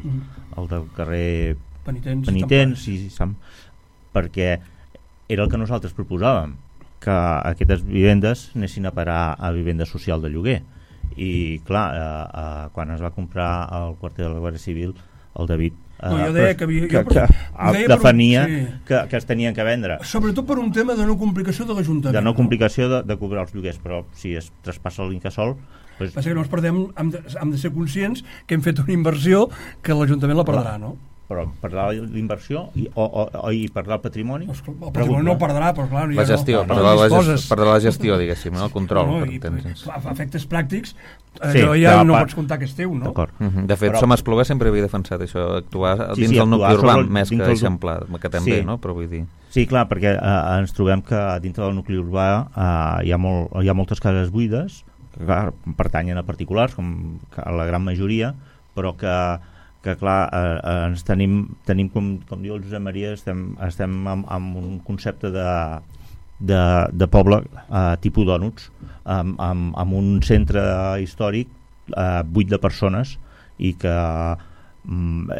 del carrer Penitents, perquè era el que nosaltres proposàvem, que aquestes vivendes anessin a parar a vivenda social de lloguer, i clar, quan es va comprar el quarter de la Guàrdia Civil, el David
jo deia que
defenia que es tenien que vendre,
sobretot per un tema de no complicació de l'Ajuntament,
de no complicació de cobrar els lloguers, però si es traspassa l'Incasòl pues...
passa que no ens perdem, hem de ser conscients que hem fet una inversió que l'Ajuntament la perdrà, no?
Però perdrà l'inversió i perdrà el patrimoni?
El patrimoni no el perdrà, però clar...
La gestió, perdrà la gestió, diguéssim, el control.
Efectes pràctics, ja no pots comptar que és teu, no?
De fet, Som Espluga sempre havia defensat això, actuar dins del nucli urbà, més que eixamplar, que també, no? Però vull dir...
Sí, clar, perquè ens trobem que dintre del nucli urbà hi ha moltes cases buides, que pertanyen a particulars, com la gran majoria, però que clar, ens tenim com diu el Josep Maria, estem amb un concepte de poble tipus dònuts, amb un centre històric buit de persones i que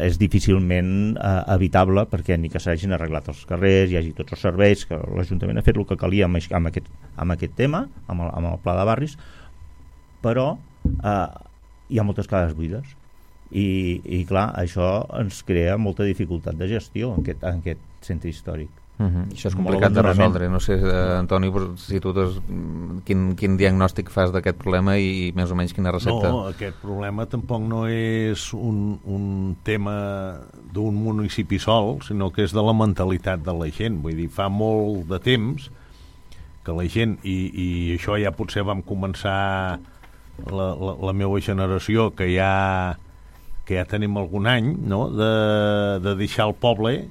és difícilment evitable, perquè ni que s'hagin arreglat els carrers, hi hagi tots els serveis, que l'Ajuntament ha fet el que calia amb aquest tema, amb el pla de barris, però hi ha moltes cases buides. I clar, això ens crea molta dificultat de gestió en aquest centre històric.
Això és complicat de resoldre. No sé, Antoni, si tu quin diagnòstic fas d'aquest problema i més o menys quina recepta.
No, aquest problema tampoc no és un tema d'un municipi sol, sinó que és de la mentalitat de la gent. Vull dir, fa molt de temps que la gent, i això ja potser vam començar la meva generació, que ja tenim algun any, no? de deixar el poble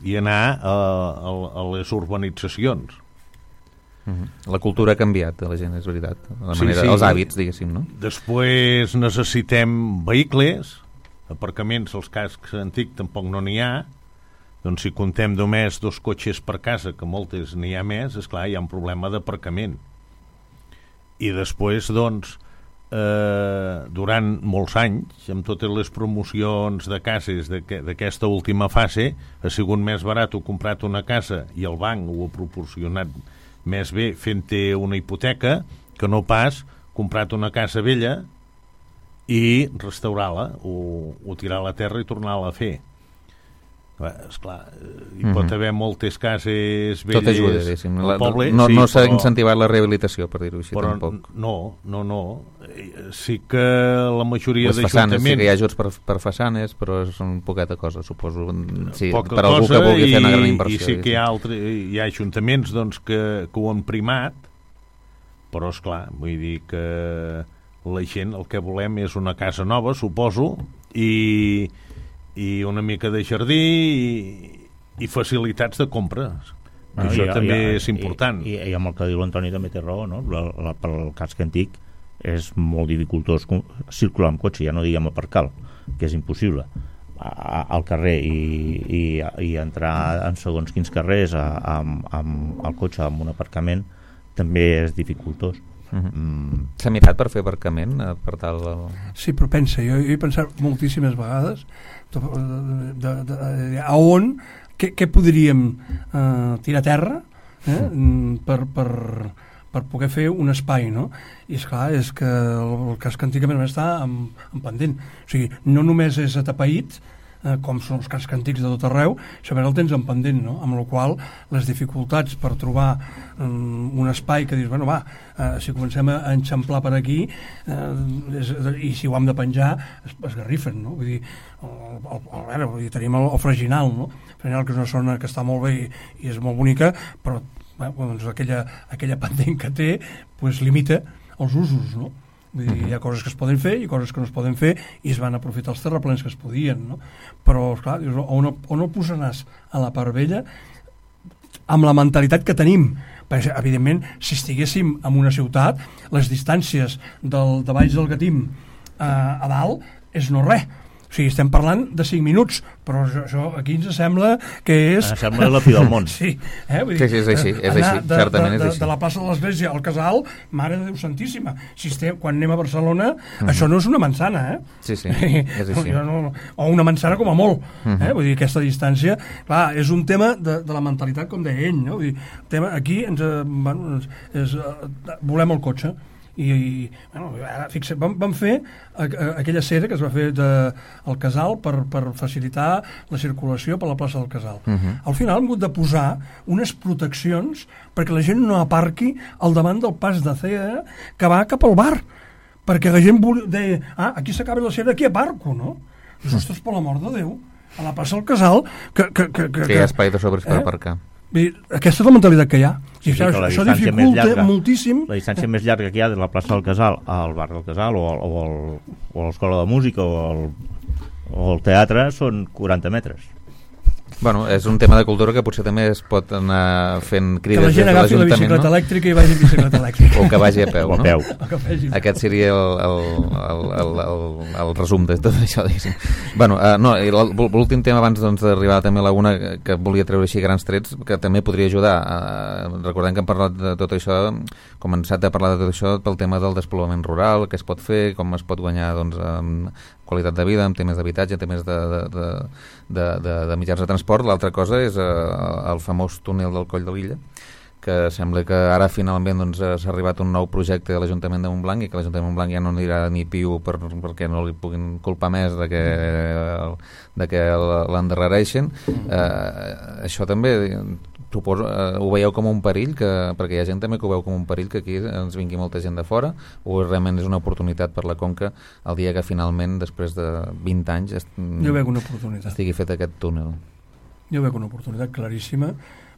i anar a les urbanitzacions.
La cultura ha canviat de la gent, és veritat. La manera, els hàbits, diguéssim, no?
Després necessitem vehicles, aparcaments, els cascs antics tampoc no n'hi ha. Doncs si contem només 2 cotxes per casa, que moltes n'hi ha més, esclar, hi ha un problema d'aparcament. I després, doncs, durant molts anys, amb totes les promocions de cases d'aquesta última fase, ha sigut més barat comprar una casa i el banc ho ha proporcionat més bé fent-te una hipoteca que no pas comprar una casa vella i restaurar-la o tirar a la terra i tornar-la a fer. Esclar, hi pot haver moltes cases velles.
Tot ajuda, diguéssim. No s'ha incentivat la rehabilitació, per dir-ho així, tampoc.
No. Sí que la majoria d'ajuntaments...
Sí que hi ha ajuts per façanes, però són poqueta cosa, suposo. Sí, per algú que vulgui fer una gran inversió.
I sí que hi ha ajuntaments doncs, que ho han primat, però, esclar, vull dir que la gent el que volem és una casa nova, suposo, i una mica de jardí i facilitats de compres. Això també és important.
I amb el que diu l'Antoni també té raó, no? Pel casc antic és molt dificultós circular amb cotxe, ja no diguem aparcar, que és impossible al carrer i entrar en segons quins carrers amb el cotxe amb un aparcament també és dificultós.
S'ha mirat per fer aparcament per tal de...
Sí, però pensa, jo he pensat moltíssimes vegades a on què podríem tirar a terra per poder fer un espai, no? I esclar, és que el casc antic està en pendent, o sigui, no només és atapeït com són els cascs antics de tot arreu, sobre el tens en pendent, no? Amb la qual les dificultats per trobar un espai que dius, bueno, si comencem a enxamplar per aquí i si ho hem de penjar es garrifen, no? Vull dir, tenim el Freginal, no? Freginal, que és una zona que està molt bé i és molt bonica, però doncs aquella pendent que té pues, limita els usos, no? Vull dir, hi ha coses que es poden fer i coses que no es poden fer i es van aprofitar els terraplens que es podien, no? Però, esclar, on el posaràs a la part vella amb la mentalitat que tenim? Perquè, evidentment, si estiguéssim en una ciutat, les distàncies de Valls del Gatim a dalt és no res. O sigui, estem parlant de 5 minuts, però això aquí ens sembla que és...
Ens sembla la fi del món.
Sí,
vull dir, sí, és així, certament és així. De
la plaça de l'Església al Casal, Mare de Déu Santíssima. Quan anem a Barcelona, això no és una manzana,
Sí, és així.
O una manzana com a molt. Vull dir, aquesta distància... Clar, és un tema de la mentalitat, com deia ell, no? Vull dir, aquí volem el cotxe. bueno, ara, fixa't, vam fer aquella cera que es va fer al Casal per facilitar la circulació per la plaça del Casal. Al final hem hagut de posar unes proteccions perquè la gent no aparqui al davant del pas de cera que va cap al bar, perquè la gent deia, aquí s'acaba la cera, aquí aparco, no? I ostres, per l'amor de Déu, a la plaça del Casal que
hi ha espai de sobres per aparcar.
Aquesta és la mentalitat que hi ha. I això dificulta moltíssim.
La distància més llarga que hi ha de la plaça del Casal al bar del Casal o a l'escola de música o al teatre són 40 metres.
Bueno, és un tema de cultura que potser també es pot anar fent crides des de l'Ajuntament.
Que la gent agafi la bicicleta elèctrica i vagi en bicicleta elèctrica.
O que vagi a peu, no?
Aquest
seria el resum de tot això, diguéssim. Bueno, l'últim tema abans d'arribar també a la una que volia treure així grans trets, que també podria ajudar. Recordem que hem parlat de tot això, començat a parlar de tot això pel tema del despoblament rural, què es pot fer, com es pot guanyar qualitat de vida, en temes d'habitatge, en temes de mitjans de transport. L'altra cosa és el famós túnel del Coll de l'Illa, que sembla que ara finalment s'ha arribat un nou projecte de l'Ajuntament de Montblanc i que l'Ajuntament de Montblanc ja no anirà ni piu perquè no li puguin culpar més de que l'endarrereixen. Això també suposo, ho veieu com un perill, perquè hi ha gent també que ho veu com un perill que aquí ens vingui molta gent de fora, o realment és una oportunitat per la Conca el dia que finalment, després de 20 anys
jo veig una oportunitat.
Estigui fet aquest túnel?
Jo veig una oportunitat claríssima,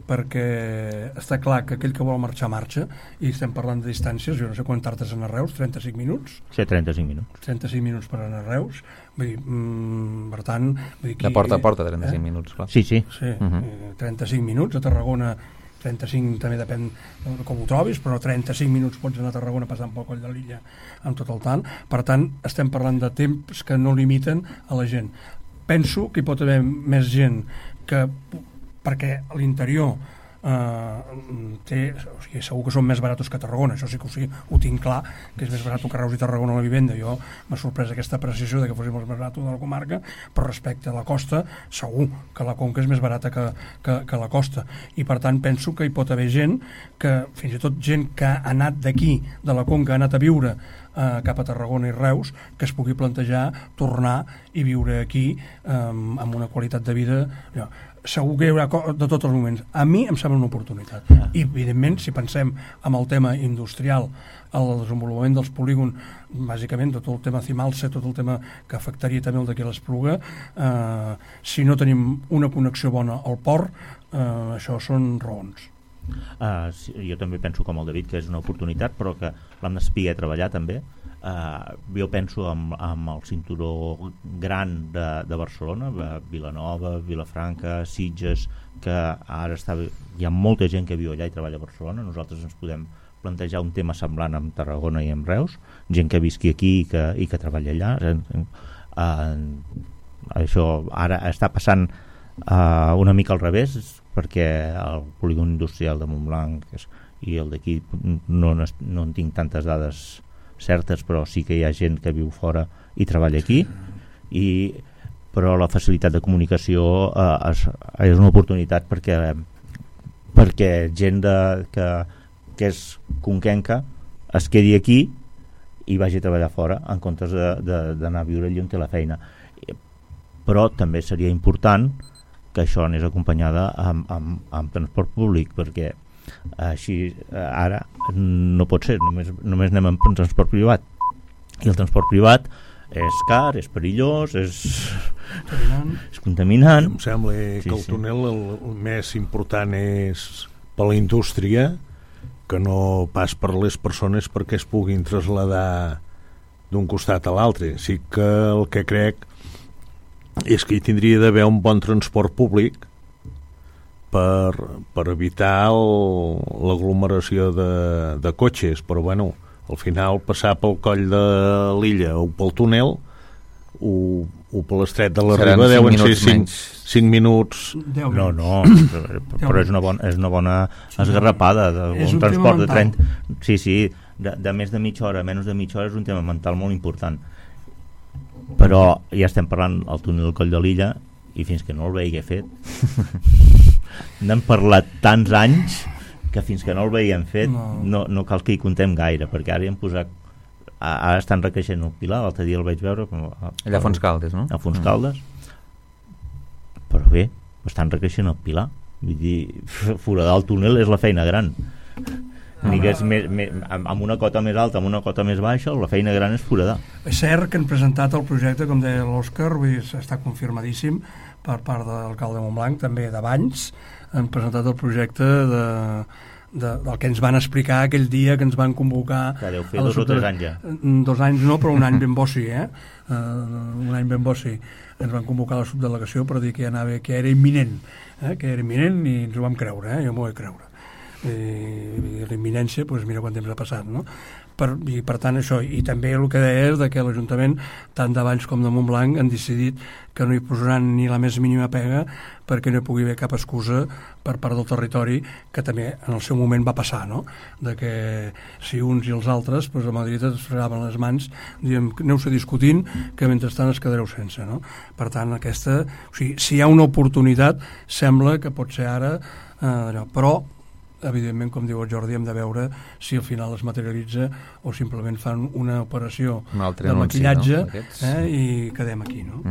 perquè està clar que aquell que vol marxa, i estem parlant de distàncies, jo no sé quan tardes anar a Reus, 35 minuts?
Sí, 35 minuts.
35 minuts per anar a Reus, vull dir, per tant...
De porta a porta, 35 minuts, clar.
Sí.
35 minuts, a Tarragona 35 també depèn com ho trobis, però 35 minuts pots anar a Tarragona passant pel Coll de l'Illa amb tot el tant. Per tant, estem parlant de temps que no limiten a la gent. Penso que hi pot haver més gent perquè a l'interior segur que són més baratos que Tarragona, això sí que ho tinc clar, que és més barat que Reus i Tarragona la vivenda. Jo m'ha sorprès aquesta apreciació de que fos més barat de la comarca, però respecte a la costa segur que la Conca és més barata que la costa, i per tant penso que hi pot haver gent que, fins i tot gent que ha anat d'aquí, de la Conca, ha anat a viure cap a Tarragona i Reus, que es pugui plantejar tornar i viure aquí amb una qualitat de vida segur que hi haurà de tots els moments. A mi em sembla una oportunitat. I, evidentment, si pensem en el tema industrial, el desenvolupament dels polígons, bàsicament tot el tema Cimalsa, tot el tema que afectaria també el d'aquí l'Espluga, si no tenim una connexió bona al port, això són raons.
Jo també penso com el David que és una oportunitat, però que l'hem de saber treballar també. Jo penso amb el cinturó gran de Barcelona, Vilanova, Vilafranca, Sitges, que ara hi ha molta gent que viu allà i treballa a Barcelona. Nosaltres ens podem plantejar un tema semblant amb Tarragona i amb Reus, gent que visqui aquí i que treballa allà. Això ara està passant una mica al revés, perquè el polígon industrial de Montblanc i el d'aquí no en tinc tantes dades certes, però sí que hi ha gent que viu fora i treballa aquí, però la facilitat de comunicació és una oportunitat perquè gent que és conquenca es quedi aquí i vagi a treballar fora en comptes d'anar a viure allí on té la feina. Però també seria important que això anés acompanyada amb transport públic, perquè així ara no pot ser, només anem amb transport privat, i el transport privat és car, és perillós, és contaminant.
Em sembla que el túnel el més important és per la indústria, que no pas per les persones perquè es puguin traslladar d'un costat a l'altre. Sí que el que crec és que hi tindria d'haver un bon transport públic per evitar l'aglomeració de cotxes, però bueno, al final passar pel Coll de l'Illa o pel túnel o per l'estret de la Riba deuen ser 5 minuts.
No, però és una bona esgarrapada, un transport de 30... Sí, de més de mitja hora, menys de mitja hora és un tema mental molt important. Però ja estem parlant del túnel del Coll de l'Illa i fins que no el vegi fet n'hem parlat tants anys que fins que no el veiem fet no cal que hi contem gaire, perquè ara hi hem posat, ara estan recreixent el pilar, l'altre dia el vaig veure
allà a Fontscaldes, no?
A Fontscaldes, però bé, estan recreixent el pilar, vull dir, foradar el túnel és la feina gran. Amb una cota més alta, amb una cota més baixa, la feina gran és foradar.
És cert que han presentat el projecte, com deia l'Òscar, està confirmadíssim per part de l'alcalde de Montblanc, també d'abans, han presentat el projecte del que ens van explicar aquell dia que ens van convocar.
Que deu fer 2 o 3 anys ja.
2 anys no, però un any ben bo sí, un any ben bo sí. Ens van convocar a la subdelegació per dir que era imminent, que era imminent, i ens ho vam creure, jo m'ho vaig creure. I la imminència, doncs mira quant temps ha passat, no? I per tant això, i també el que deia és que l'Ajuntament, tant de Valls com de Montblanc, han decidit que no hi posaran ni la més mínima pega perquè no hi pugui haver cap excusa per part del territori, que també en el seu moment va passar, no? De que si uns i els altres, doncs a Madrid es fregaven les mans, diem, aneu-se discutint, que mentrestant es quedareu sense, no? Per tant, aquesta, o sigui, si hi ha una oportunitat, sembla que pot ser ara, però evidentment, com diu el Jordi, hem de veure si al final es materialitza o simplement fan una operació de maquillatge, no? I quedem aquí, no?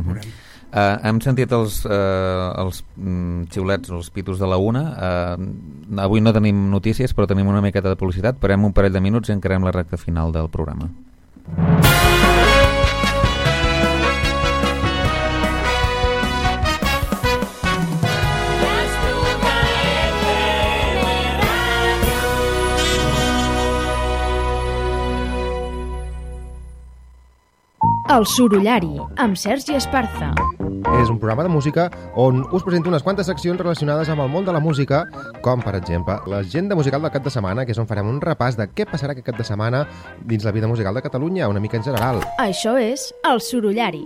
Hem sentit els xiulets, els pitos de la una. Avui no tenim notícies, però tenim una miqueta de publicitat. Parem un parell de minuts i encarem la recta final del programa.
El Sorollari, amb Sergi Esparza.
És un programa de música on us presento unes quantes seccions relacionades amb el món de la música, com, per exemple, l'agenda musical del cap de setmana, que és on farem un repàs de què passarà aquest cap de setmana dins la vida musical de Catalunya, una mica en general.
Això és El Sorollari.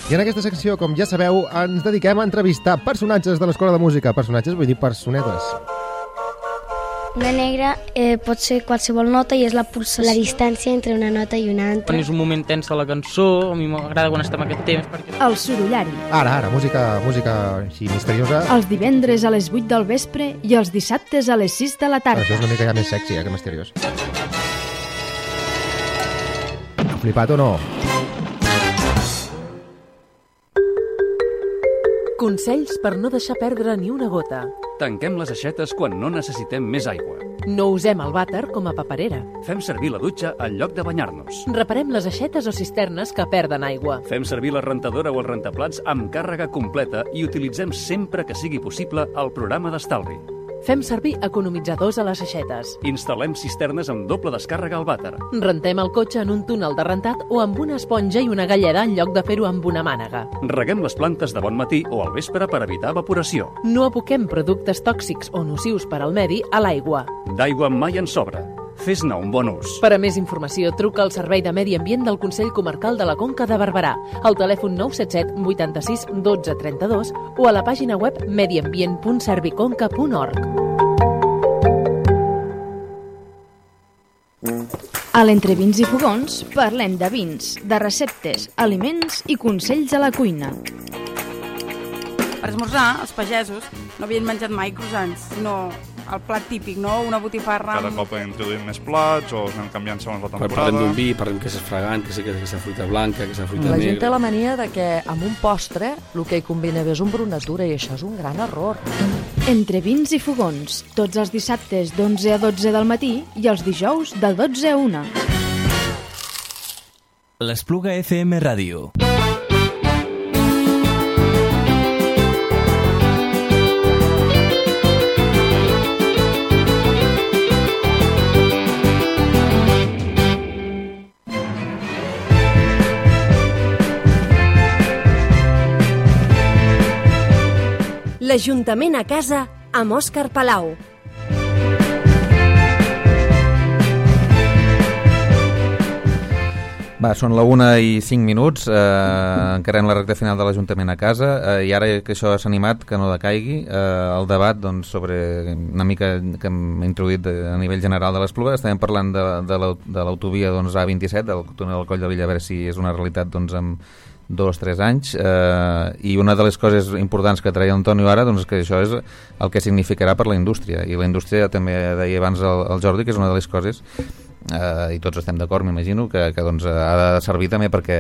I en aquesta secció, com ja sabeu, ens dediquem a entrevistar personatges de l'Escola de Música. Personatges vull dir personetes.
Una negra pot ser qualsevol nota i és la pulsació. La distància entre una nota i una altra.
Quan és un moment tens de la cançó, a mi m'agrada quan estem aquest temps. Perquè...
El Sorollari.
Ara, música així misteriosa.
Els divendres a les 8 del vespre i els dissabtes a les 6 de la tarda.
Això és una mica ja més sexy, que misteriós. Flipat o no?
Consells per no deixar perdre ni una gota.
Tanquem les aixetes quan no necessitem més aigua.
No usem el vàter com a paperera.
Fem servir la dutxa en lloc de banyar-nos.
Reparem les aixetes o cisternes que perden aigua.
Fem servir la rentadora o el rentaplats amb càrrega completa i utilitzem sempre que sigui possible el programa d'estalvi.
Fem servir economitzadors a les aixetes.
Instal·lem cisternes amb doble descàrrega al vàter.
Rentem el cotxe en un túnel de rentat o amb una esponja i una galleda en lloc de fer-ho amb una mànega.
Reguem les plantes de bon matí o al vespre per evitar evaporació.
No aboquem productes tòxics o nocius per al medi a l'aigua.
D'aigua mai en sobra. Fes-ne un bon ús.
Per a més informació, truca al Servei de Medi Ambient del Consell Comarcal de la Conca de Barberà, al telèfon 977 86 12 32 o a la pàgina web mediambient.serviconca.org.
A l'Entrevins i Fogons parlem de vins, de receptes, aliments i consells a la cuina.
Per esmorzar, els pagesos no havien menjat mai croissants, sinó el plat típic, no? Una botifarra...
Cada cop introduïm més plats o anem canviant segons la temporada.
Parlem d'un vi, parlem que és fragant, que és aquesta fruita blanca, que és la fruita negra...
La gent té la mania de que amb un postre el que hi combina bé és un brunatura i això és un gran error.
Entre vins i fogons, tots els dissabtes d'11 a 12 del matí i els dijous de 12 a 1.
L'Espluga FM Ràdio.
L'Ajuntament a casa amb Òscar Palau.
Va, són la 1:05, encarem la recta final de l'Ajuntament a casa, i ara que això s'ha animat, que no decaigui, el debat doncs, sobre una mica que hem introduït a nivell general de l'Espluga. Estem parlant de l'autovia A27, del túnel del Coll de Villa, a veure si és una realitat doncs, amb 2-3 anys, i una de les coses importants que treia Antonio ara, doncs, que això és el que significarà per la indústria, i la indústria també deia abans el Jordi que és una de les coses, i tots estem d'acord, m'imagino, que doncs, ha de servir també perquè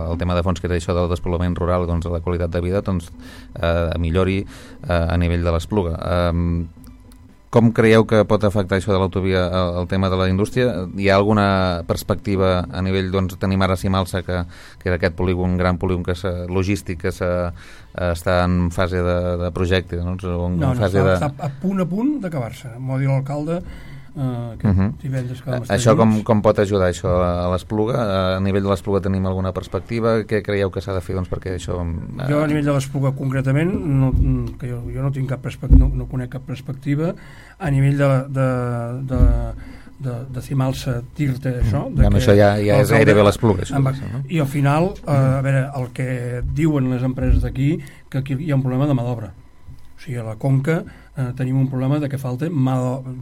el tema de fons, que és això del despoblament rural, doncs, la qualitat de vida doncs, millori a nivell de l'Espluga. Com creieu que pot afectar això de l'autovia el tema de la indústria? Hi ha alguna perspectiva a nivell, doncs, tenim ara Simalsa, que era aquest polígon, gran polígon logístic que està en fase de projecte, no?
Està a punt d'acabar-se. M'ho ha dit l'alcalde divendres que vam estar
això com pot ajudar això a l'Espluga? A nivell de l'Espluga tenim alguna perspectiva? Què creieu que s'ha de fer, doncs, perquè això...
Jo a nivell de l'Espluga concretament que jo no tinc cap perspectiva, no conec cap perspectiva. A nivell de Simalsa dir-te això,
això ja és gairebé l'Espluga,
i al final a veure, el que diuen les empreses d'aquí, que aquí hi ha un problema de mà d'obra. O sigui, a la Conca tenim un problema de que falta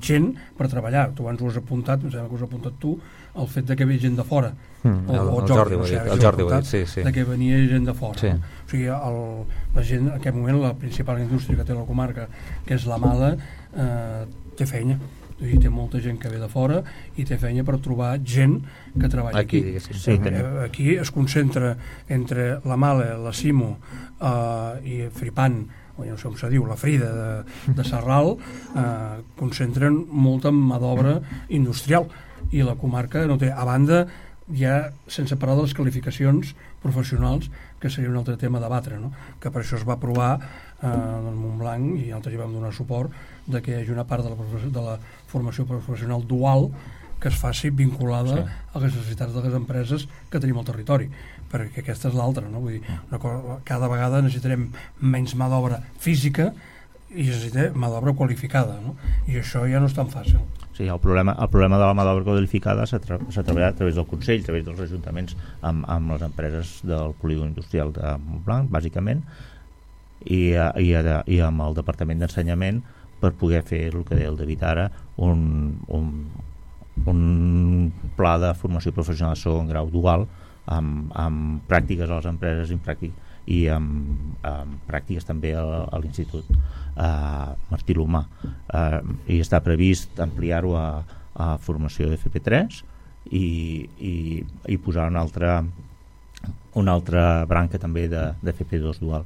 gent per treballar. Tu abans ho has apuntat, em sembla que ho has apuntat tu, el fet de que ve gent de fora.
El Jordi ho ha dit, sí.
De que venia gent de fora.
Sí.
O sigui, la gent, en aquest moment, la principal indústria que té la comarca, que és la Mala, té feina. Té molta gent que ve de fora i té feina per trobar gent que treballa aquí. Aquí es concentra entre la Mala, la Simo i Fripan, no sé com se diu, la Frida de Sarral, concentren molta mà d'obra industrial, i la comarca no té. A banda, ja sense parlar de les qualificacions professionals, que seria un altre tema a debatre, no? Que per això es va aprovar en Montblanc, i nosaltres hi vam donar suport, de que hi hagi una part de la formació professional dual que es faci vinculada a les necessitats de les empreses que tenim al territori, perquè aquesta és l'altra, no? Vull dir, cada vegada necessitarem menys mà d'obra física i necessitarem mà d'obra qualificada, no? I això ja no és tan fàcil.
Sí, el problema de la mà d'obra qualificada s'ha treballat a través del Consell, a través dels ajuntaments amb les empreses del polígon industrial de Montblanc, bàsicament, i amb el Departament d'Ensenyament, per poder fer el que deia el David ara, un pla de formació professional de segon grau dual amb pràctiques a les empreses i amb pràctiques també a l'Institut Martí L'Humà, i està previst ampliar-ho a formació FP3 i posar una altra branca també de FP2 dual.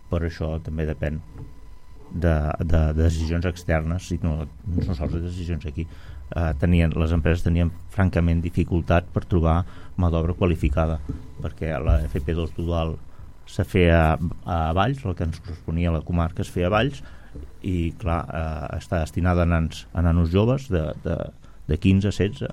Per això també depèn de decisions externes i no sols de decisions aquí. Les empreses tenien francament dificultat per trobar mà d'obra qualificada, perquè la FP2 dual se feia a Valls, el que ens corresponia a la comarca es feia a Valls, i clar, està destinada a nanos joves de 15 a 16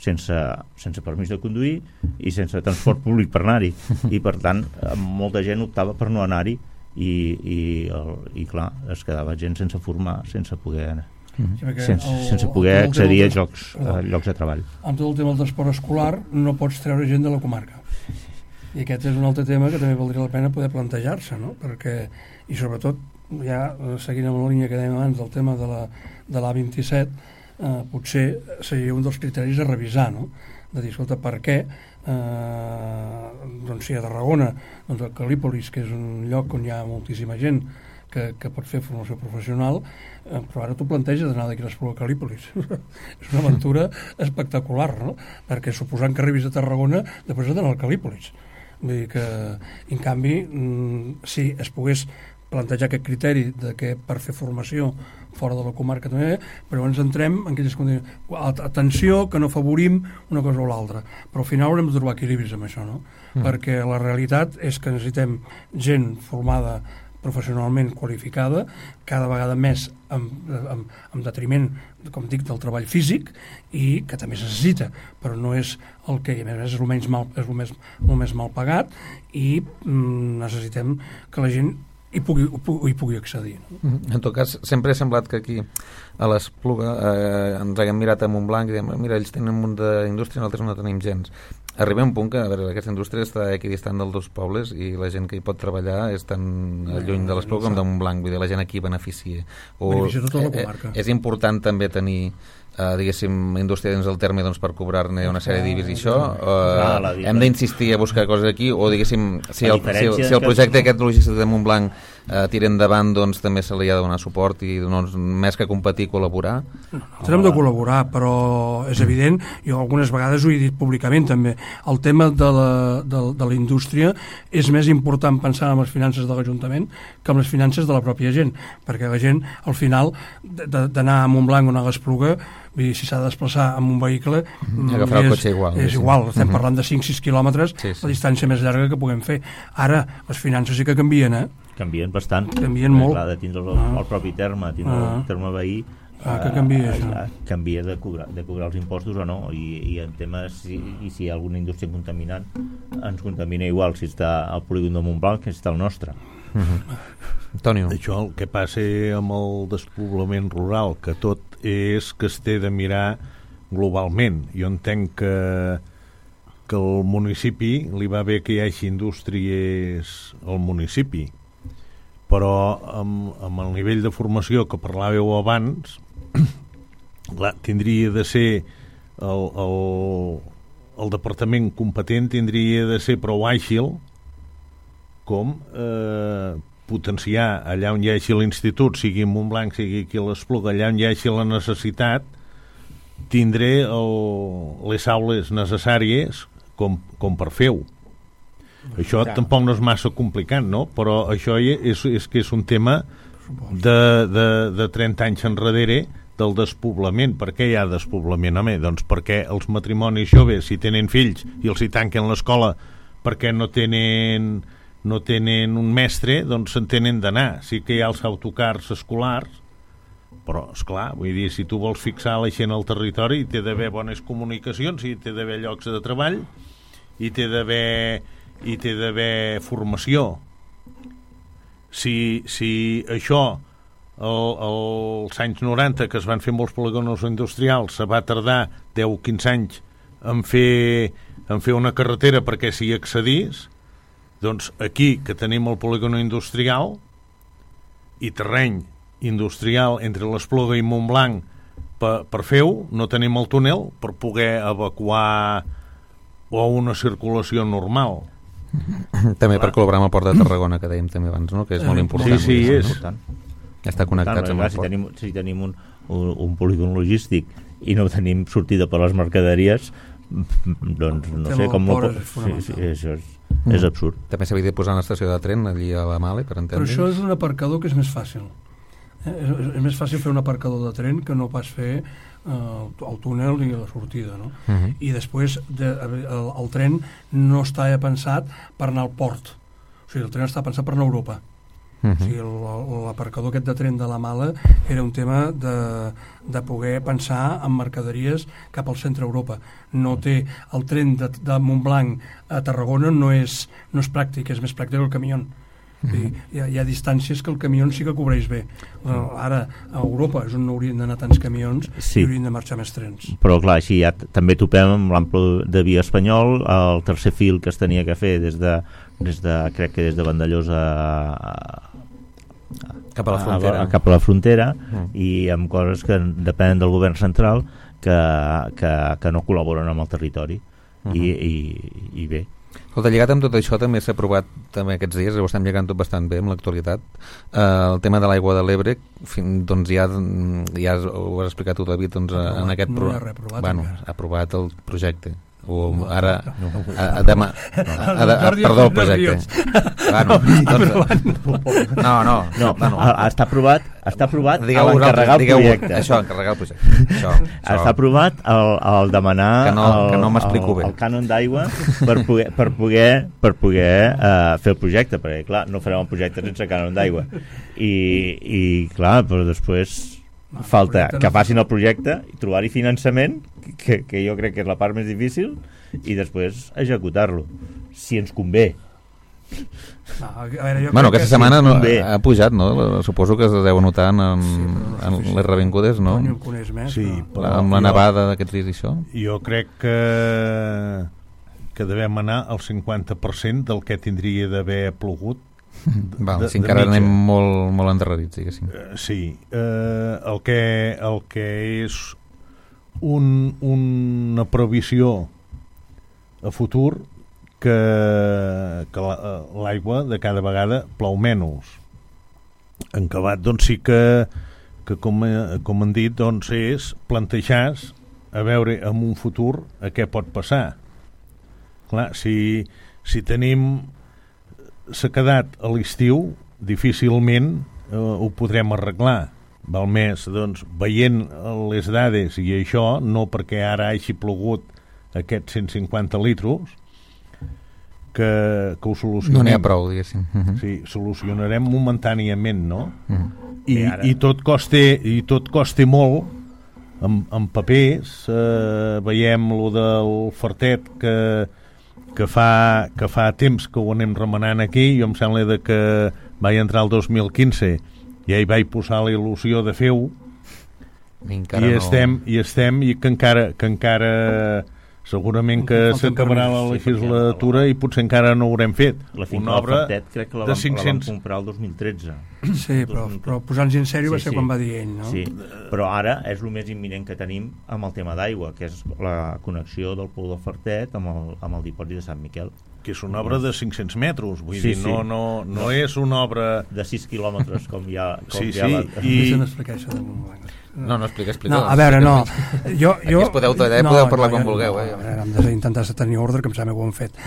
sense permís de conduir i sense transport públic per anar-hi, i per tant molta gent optava per no anar-hi, i clar, es quedava gent sense formar, sense poder accedir a llocs de treball.
Amb tot el tema del transport escolar no pots treure gent de la comarca, i aquest és un altre tema que també valdria la pena poder plantejar-se, no? Perquè, i sobretot ja seguint amb la línia que dèiem abans del tema de l'A27, potser seria un dels criteris a revisar, no? De dir, escolta, per què doncs si a Tarragona, doncs el Calípolis, que és un lloc on hi ha moltíssima gent que pot fer formació professional, però ara tu planteges d'anar d'aquí a l'Espluga Calípolis. És una aventura espectacular, no? Perquè suposant que arribis a Tarragona, després has d'anar al Calípolis. Vull dir que, en canvi, si es pogués plantejar aquest criteri de que per fer formació fora de la comarca també, però ens entrem en aquelles condicions. Atenció, que no favorim una cosa o l'altra, però al final haurem de trobar equilibris amb això, no? Perquè la realitat és que necessitem gent formada professionalment qualificada, cada vegada més amb detriment, com dic, del treball físic, i que també es necessita, però no és el que, a més és el més mal pagat, i necessitem que la gent hi pugui accedir. No?
En tot cas, sempre ha semblat que aquí a l'Espluga ens haguem mirat a Montblanc i diem, mira, ells tenen un munt d'indústria, nosaltres no tenim gens. Arriba un punt que, a veure, aquesta indústria està equidistant dels dos pobles i la gent que hi pot treballar és tan lluny de l'Espluga com de Montblanc, vull dir, la gent aquí beneficia.
Beneficia tota la comarca.
És important també tenir diguéssim, indústria dins el terme per cobrar-ne una sèrie d'IBIs i això, hem d'insistir a buscar coses aquí, o diguéssim, si el projecte aquest logístic de Montblanc tira endavant, doncs també se li ha de donar suport i més que competir, col·laborar.
Nosaltres hem de col·laborar, però és evident, jo algunes vegades ho he dit públicament també, el tema de la indústria és més important pensar en les finances de l'Ajuntament que en les finances de la pròpia gent, perquè la gent al final d'anar a Montblanc o anar a l'Espluga, si s'ha de desplaçar amb un vehicle
agafar el cotxe igual,
és igual, estem parlant de 5-6 quilòmetres, la distància més llarga que puguem fer. Ara, les finances sí que canvien,
canvien bastant,
canvien molt.
Clar, de tindre el propi terme, el terme veí,
que canvia això.
Canvia de cobrar els impostos o no, i en temes si hi ha alguna indústria contaminant ens contamina igual si està al polígon de Montblanc que si està al nostre.
Antonio.
Això el que passa amb el despoblament rural, que tot és que es té de mirar globalment. Jo entenc que al municipi li va bé que hi hagi indústries al municipi, però amb el nivell de formació que parlàveu abans, clar, tindria de ser el departament competent tindria de ser prou àgil com potenciar allà on hi hagi l'institut, sigui en Montblanc, sigui aquí a l'Espluga, allà on hi hagi la necessitat, tindré les aules necessàries com per fer-ho. Això tampoc no és massa complicat, no? Però això és que és un tema de 30 anys enrere del despoblament. Per què hi ha despoblament? Home, doncs perquè els matrimonis joves, si tenen fills i els hi tanquen l'escola perquè no tenen un mestre, doncs se'n tenen d'anar. Sí que hi ha els autocars escolars, però, esclar, vull dir, si tu vols fixar la gent al territori, hi té d'haver bones comunicacions, hi té d'haver llocs de treball, hi té d'haver formació. Si això als anys 90, que es van fer molts polígons industrials, se va tardar 10-15 anys en fer una carretera perquè s'hi accedís, doncs aquí, que tenim el polígon industrial i terreny industrial entre l'Espluga i Montblanc per fer-ho, no tenim el túnel per poder evacuar o una circulació normal.
També per col·laborar amb el Port de Tarragona, que dèiem també abans, no? Que és molt important.
Sí, és.
Estar connectats amb el port.
Si tenim un polígon logístic i no tenim sortida per les mercaderies, doncs no sé com... Això és absurd.
També s'havia de posar una estació de tren allí a la Male, per entendre'ns.
Però això és un aparcador que és més fàcil. És més fàcil fer un aparcador de tren que no pas fer el túnel i la sortida, no? I després el tren no està pensat per anar al port, o sigui, el tren està pensat per anar a Europa. O sigui, l'aparcador aquest de tren de la Mala era un tema de poder pensar en mercaderies cap al centre Europa. No té el tren de Montblanc a Tarragona, no és pràctic, és més pràctic el camió. Hi ha distàncies que el camió sí que cobreix bé. Ara a Europa és on no haurien d'anar tants camions i haurien de marxar més trens.
Però clar, així ja també topem amb l'ample de via espanyol, el tercer fil que es tenia que fer crec que des de Vandellós
cap a
la frontera i amb coses que depenen del govern central que no col·laboren amb el territori i bé.
Escolta, lligat amb tot això també s'ha aprovat també aquests dies, ho estem llegant tot bastant bé amb l'actualitat, el tema de l'aigua de l'Ebre, doncs ja ho has explicat tu, David, doncs en aquest aprovat el projecte. O ara demà perdó, el projecte
està aprovat encarregar el projecte.
Encarregar el projecte
està aprovat el demanar
que no m'explico bé
el cànon d'aigua per poder fer el projecte, perquè clar, no farem el projecte sense cànon d'aigua i clar, però després falta que facin el projecte i trobar-hi finançament, que jo crec que és la part més difícil, i després executar-lo, si ens convé.
Aquesta setmana ha pujat, no? Suposo que es deu notar en les revingudes, no?
Sí,
amb la nevada d'aquests dies i això.
Jo crec que devem anar al 50% del que tindria d'haver plogut.
Si encara anem molt endarrerits, diguéssim.
Sí, el que és una previsió a futur que l'aigua de cada vegada plou menys. En acabat, doncs sí que com han dit, doncs és plantejar a veure en un futur a què pot passar. Clar, si tenim sequedat a l'estiu, difícilment ho podrem arreglar. Val més, doncs, veient les dades i això, no perquè ara hagi plogut aquests 150 litros, que ho solucionem.
No n'hi ha prou, diguéssim.
Sí, solucionarem momentàniament, no? I tot costa molt en papers. Veiem lo del Fartet que fa temps que ho anem remenant aquí. Jo em sembla que vaig entrar el 2015 i hi vaig posar la il·lusió de fer-ho i que encara segurament que s'acabarà la legislatura i potser encara no ho haurem fet.
Una obra crec que la vam comprar el 2013.
Sí, però posant-nos en sèrio va ser quan va dir ell, no?
Sí, però ara és el més imminent que tenim amb el tema d'aigua, que és la connexió del pou del Fartet amb el dipòsit de Sant Miquel.
Que és una obra de 500 metres, vull dir, no és una obra...
De 6 quilòmetres, com hi ha...
Deixa'm explicar això de Montblanc.
No, explica.
No, a veure, no.
Aquí es podeu tallar, podeu parlar quan vulgueu.
Hem d'intentar tenir ordre, que em sembla que ho hem fet.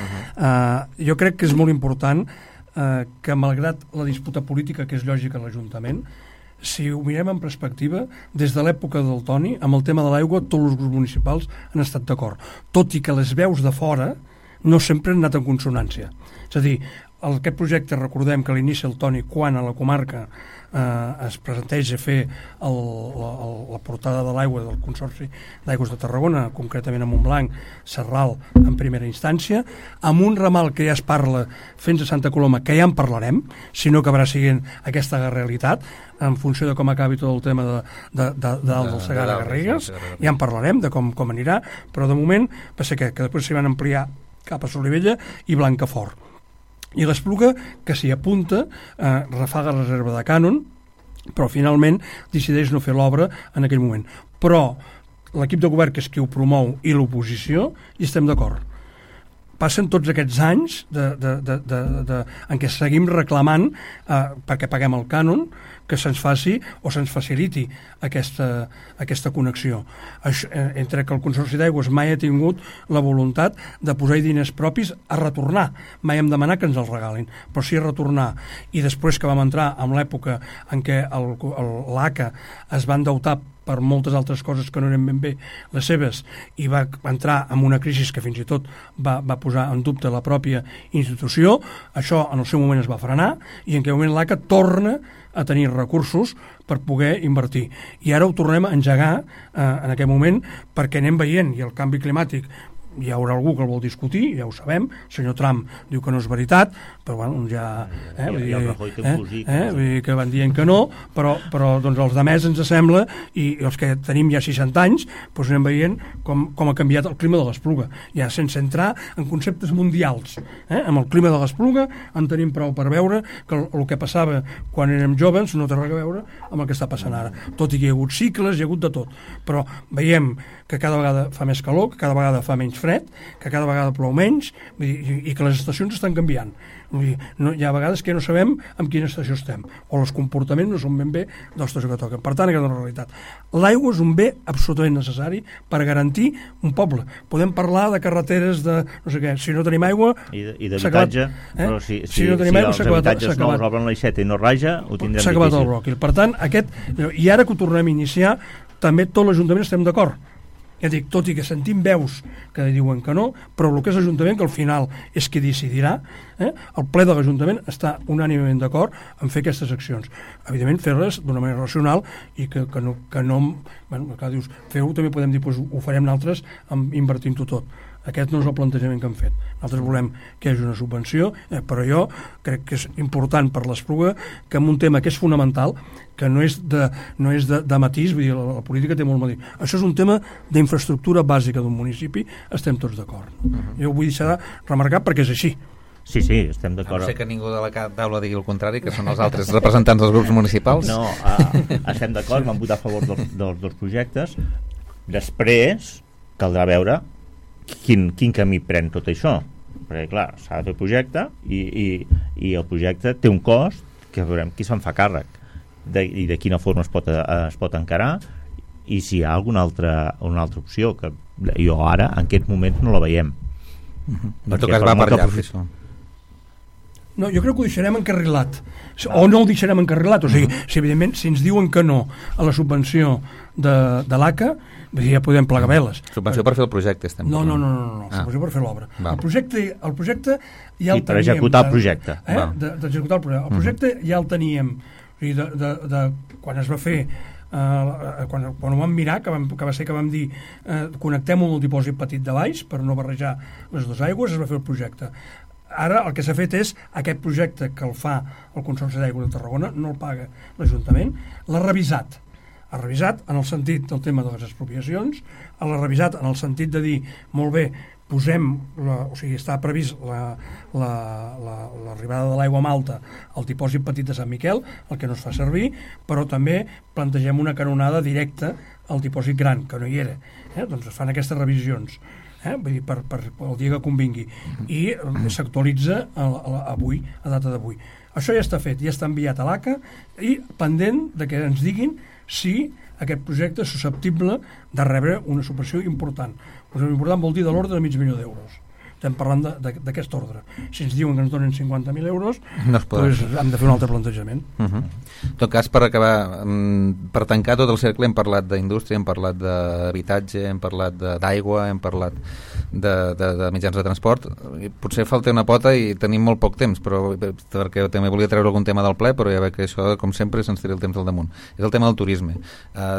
Jo crec que és molt important que, malgrat la disputa política, que és lògica a l'Ajuntament, si ho mirem en perspectiva, des de l'època del Toni, amb el tema de l'aigua, tots els grups municipals han estat d'acord. Tot i que les veus de fora no sempre han anat en consonància. És a dir, aquest projecte, recordem que l'inicia el Toni quan a la comarca es presenteja fer la portada de l'aigua del Consorci d'Aigües de Tarragona, concretament a Montblanc, Serral en primera instància, amb un ramal que ja es parla fins a Santa Coloma, que ja en parlarem, si no acabarà sent aquesta realitat, en funció de com acabi tot el tema del Segarra-Garrigues, ja en parlarem de com anirà, però de moment va ser que després s'hi van ampliar cap a Solivella i Blancafort. I l'Espluga, que s'hi apunta, refaga reserva de cànon, però finalment decideix no fer l'obra en aquell moment. Però l'equip de govern, que és qui ho promou, i l'oposició, hi estem d'acord. Passen tots aquests anys en què seguim reclamant perquè paguem el cànon, que se'ns faci o se'ns faciliti aquesta connexió. Entre que el Consorci d'Aigües mai ha tingut la voluntat de posar-hi diners propis a retornar. Mai hem demanat que ens els regalin, però sí a retornar. I després que vam entrar en l'època en què l'ACA es va endeutar per moltes altres coses que no eren ben bé les seves, i va entrar en una crisi que fins i tot va posar en dubte la pròpia institució, això en el seu moment es va frenar, i en aquell moment l'ACA torna a tenir recursos per poder invertir. I ara ho tornem a engegar en aquest moment, perquè anem veient, i el canvi climàtic hi haurà algú que el vol discutir, ja ho sabem, el senyor Trump diu que no és veritat, però bueno, ja... vull dir que van dient que no, però doncs els demés ens sembla, i els que tenim ja 60 anys, doncs anem veient com ha canviat el clima de l'Espluga, ja sense entrar en conceptes mundials. Amb el clima de l'Espluga en tenim prou per veure que el que passava quan érem joves no té res a veure amb el que està passant ara, tot i que hi ha hagut cicles, hi ha hagut de tot, però veiem que cada vegada fa més calor, que cada vegada fa menys fred, que cada vegada plou menys, i que les estacions estan canviant. Hi ha vegades que no sabem en quina estació estem, o els comportaments no són ben bé de l'estació que toquen. Per tant, aquesta és una realitat. L'aigua és un bé absolutament necessari per garantir un poble. Podem parlar de carreteres de no sé què, si no tenim aigua...
I d'habitatge, però si
no tenim aigua,
els habitatges nous obren l'aixeta i no raja, ho tindrem difícil.
S'ha acabat el bròquil. Per tant, i ara que ho tornem a iniciar, també tot l'Ajuntament estem d'acord. Ja dic, tot i que sentim veus que diuen que no, però el que és l'Ajuntament, que al final és qui decidirà, el ple de l'Ajuntament està unànimement d'acord en fer aquestes accions. Evidentment, fer-les d'una manera racional i que no bueno, que dius, feu, també podem dir, doncs, ho farem nosaltres invertint-ho tot. Aquest no és el plantejament que hem fet. Nosaltres volem que hi hagi una subvenció, però jo crec que és important per l'Espluga que en un tema que és fonamental, que no és de matís, vull dir, la política té molt a dir. Això és un tema d'infraestructura bàsica d'un municipi, estem tots d'acord. Jo ho vull deixar remarcar perquè és així.
Sí, estem d'acord.
No sé que ningú de la taula digui el contrari, que són els altres representants dels grups municipals.
No, estem d'acord, vam votar a favor dels dos projectes. Després caldrà veure quin camí pren tot això, perquè clar, s'ha de fer projecte i el projecte té un cost que veurem qui se'n fa càrrec i de quina forma es pot encarar, i si hi ha alguna altra opció, que jo ara en aquest moment no la veiem.
En tot cas va per llarg això.
No, jo crec que ho deixarem encarrilat, o no ho deixarem encarrilat, o sigui, si evidentment si ens diuen que no a la subvenció de l'ACA, ja podem plegar veles.
Subvenció per fer el projecte estem
parlant. No, subvenció per fer l'obra. El projecte ja el teníem.
Per executar el projecte.
D'executar el projecte. El projecte ja el teníem, o sigui, quan es va fer, quan ho vam mirar, que va ser que vam dir connectem-ho amb el dipòsit petit de baix per no barrejar les dues aigües, es va fer el projecte. Ara el que s'ha fet és aquest projecte que el fa el Consorci d'Aigua de Tarragona, no el paga l'Ajuntament, l'ha revisat. Ha revisat en el sentit del tema de les expropiacions, l'ha revisat en el sentit de dir, molt bé, o sigui, està previst l'arribada de l'aigua malta al dipòsit petit de Sant Miquel, el que no es fa servir, però també plantegem una canonada directa al dipòsit gran, que no hi era. Doncs es fan aquestes revisions. Vull dir, per el dia que convingui, i s'actualitza avui, a data d'avui. Això ja està fet, ja està enviat a l'ACA i pendent de que ens diguin si aquest projecte és susceptible de rebre una subvenció important. Una subvenció important vol dir de l'ordre de $500.000. Estem parlant d'aquest ordre. Si ens diuen que ens donen 50.000 euros, doncs hem de fer un altre plantejament.
En tot cas, per acabar, per tancar tot el cercle, hem parlat d'indústria, hem parlat d'habitatge, hem parlat d'aigua, hem parlat de mitjans de transport. Potser falta una pota i tenim molt poc temps, però perquè també volia treure algun tema del ple, però ja veig que això, com sempre, se'ns tira el temps al damunt. És el tema del turisme.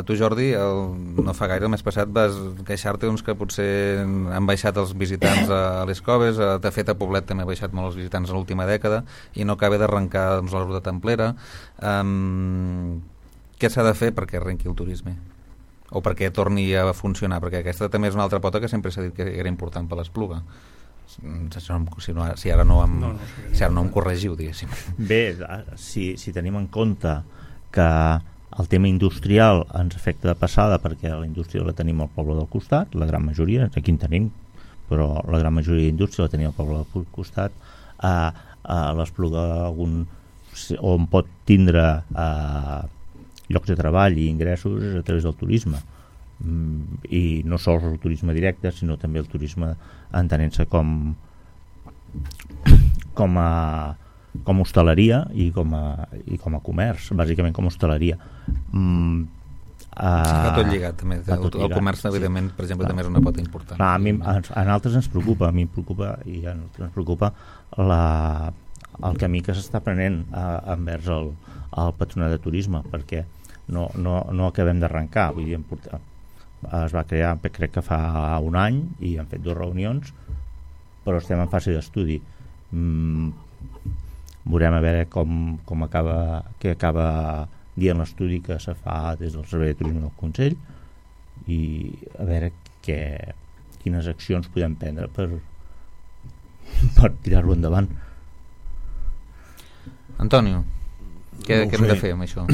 Tu, Jordi, no fa gaire, el mes passat, vas queixar-te que potser han baixat els visitants a les coves, de fet a Poblet també ha baixat molt els visitants en l'última dècada i no acaba d'arrencar la ruta templera. Què s'ha de fer perquè arrenqui el turisme? O perquè torni a funcionar? Perquè aquesta també és una altra pota que sempre s'ha dit que era important per l'Espluga. Si ara no em corregiu, diguéssim.
Bé, si tenim en compte que el tema industrial ens afecta de passada, perquè la indústria la tenim al poble del costat, la gran majoria, aquí en tenim, però la gran majoria d'indústria la tenim al poble del costat, a l'Espluga on pot tindre llocs de treball i ingressos a través del turisme, i no sols el turisme directe, sinó també el turisme entenent-se com hostaleria i com a comerç, bàsicament com a hostaleria.
Està tot lligat també. El comerç, evidentment, per exemple, també és una pota important.
A nosaltres ens preocupa, ens preocupa el camí que s'està prenent envers el patronat de turisme, perquè no acabem d'arrencar. Vull dir, es va crear, crec que fa un any, i han fet 2 reunions, però estem en fase d'estudi. Veurem a veure què acaba dient l'estudi que se fa des del Servei de Turisme del Consell, i a veure quines accions podem prendre per tirar-lo endavant.
Antonio, què hem de fer amb això?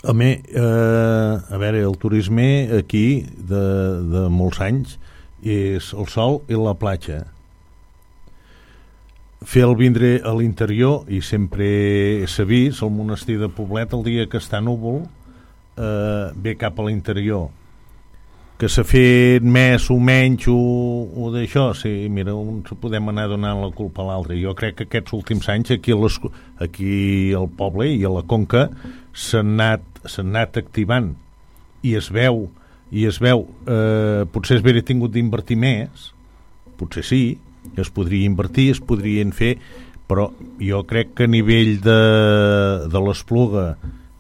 A veure, el turisme aquí de molts anys és el sol i la platja. Fer el vindre a l'interior, i sempre s'ha vist, el monestir de Poblet, el dia que està núvol, ve cap a l'interior. Que s'ha fet més o menys o d'això, sí, mira, podem anar donant la culpa a l'altre. Jo crec que aquests últims anys aquí al poble i a la Conca s'han anat activant, i es veu, potser es hauria tingut d'invertir més, potser sí, es podria invertir, es podrien fer, però jo crec que a nivell de l'Espluga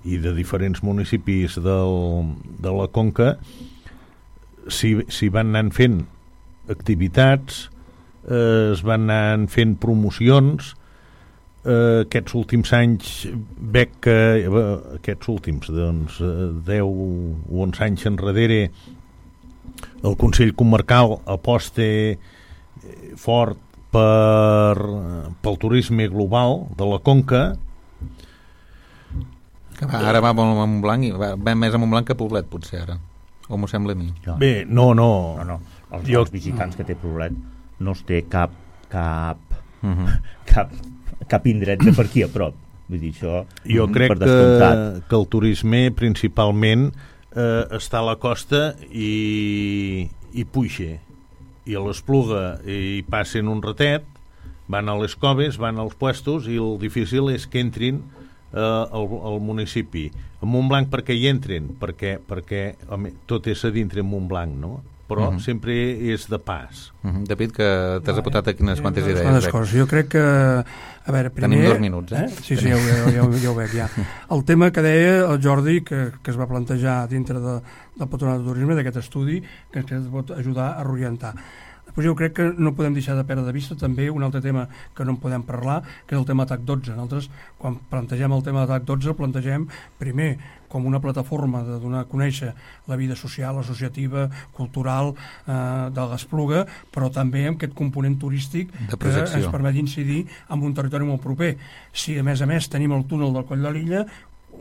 i de diferents municipis de la Conca s'hi van anar fent activitats, es van anar fent promocions. Aquests últims anys veig que aquests últims 10 o 11 anys enrere el Consell Comarcal aposta fort pel turisme global de la Conca,
que ara va molt a Montblanc, i va més a Montblanc que a Poblet, potser ara. O m'ho sembla a mi?
Bé, no.
Els visitants que té Poblet no es té cap indret de per aquí a prop. Vull dir, això
jo crec que el turisme principalment està a la costa i puja, i a l'Espluga hi passen un ratet, van a les coves, van als puestos, i el difícil és que entrin al municipi. A Montblanc per què hi entren? Perquè home, tot és a dintre Montblanc, no? Però sempre és de pas.
David, que t'has apuntat aquí unes quantes idees.
Unes coses. Jo crec que... A veure, primer...
Tenim 2 minuts,
Sí, ja ho veig, ja. El tema que deia el Jordi, que es va plantejar dintre del Patronat de Turisme, d'aquest estudi, que ens pot ajudar a reorientar. Després jo crec que no podem deixar de perdre de vista també un altre tema que no en podem parlar, que és el tema TAC 12. Nosaltres, quan plantegem el tema de TAC 12, el plantegem primer com una plataforma de donar a conèixer la vida social, associativa, cultural de l'Espluga, però també amb aquest component turístic que ens permet incidir en un territori molt proper. Si a més tenim el túnel del Coll de l'Illa,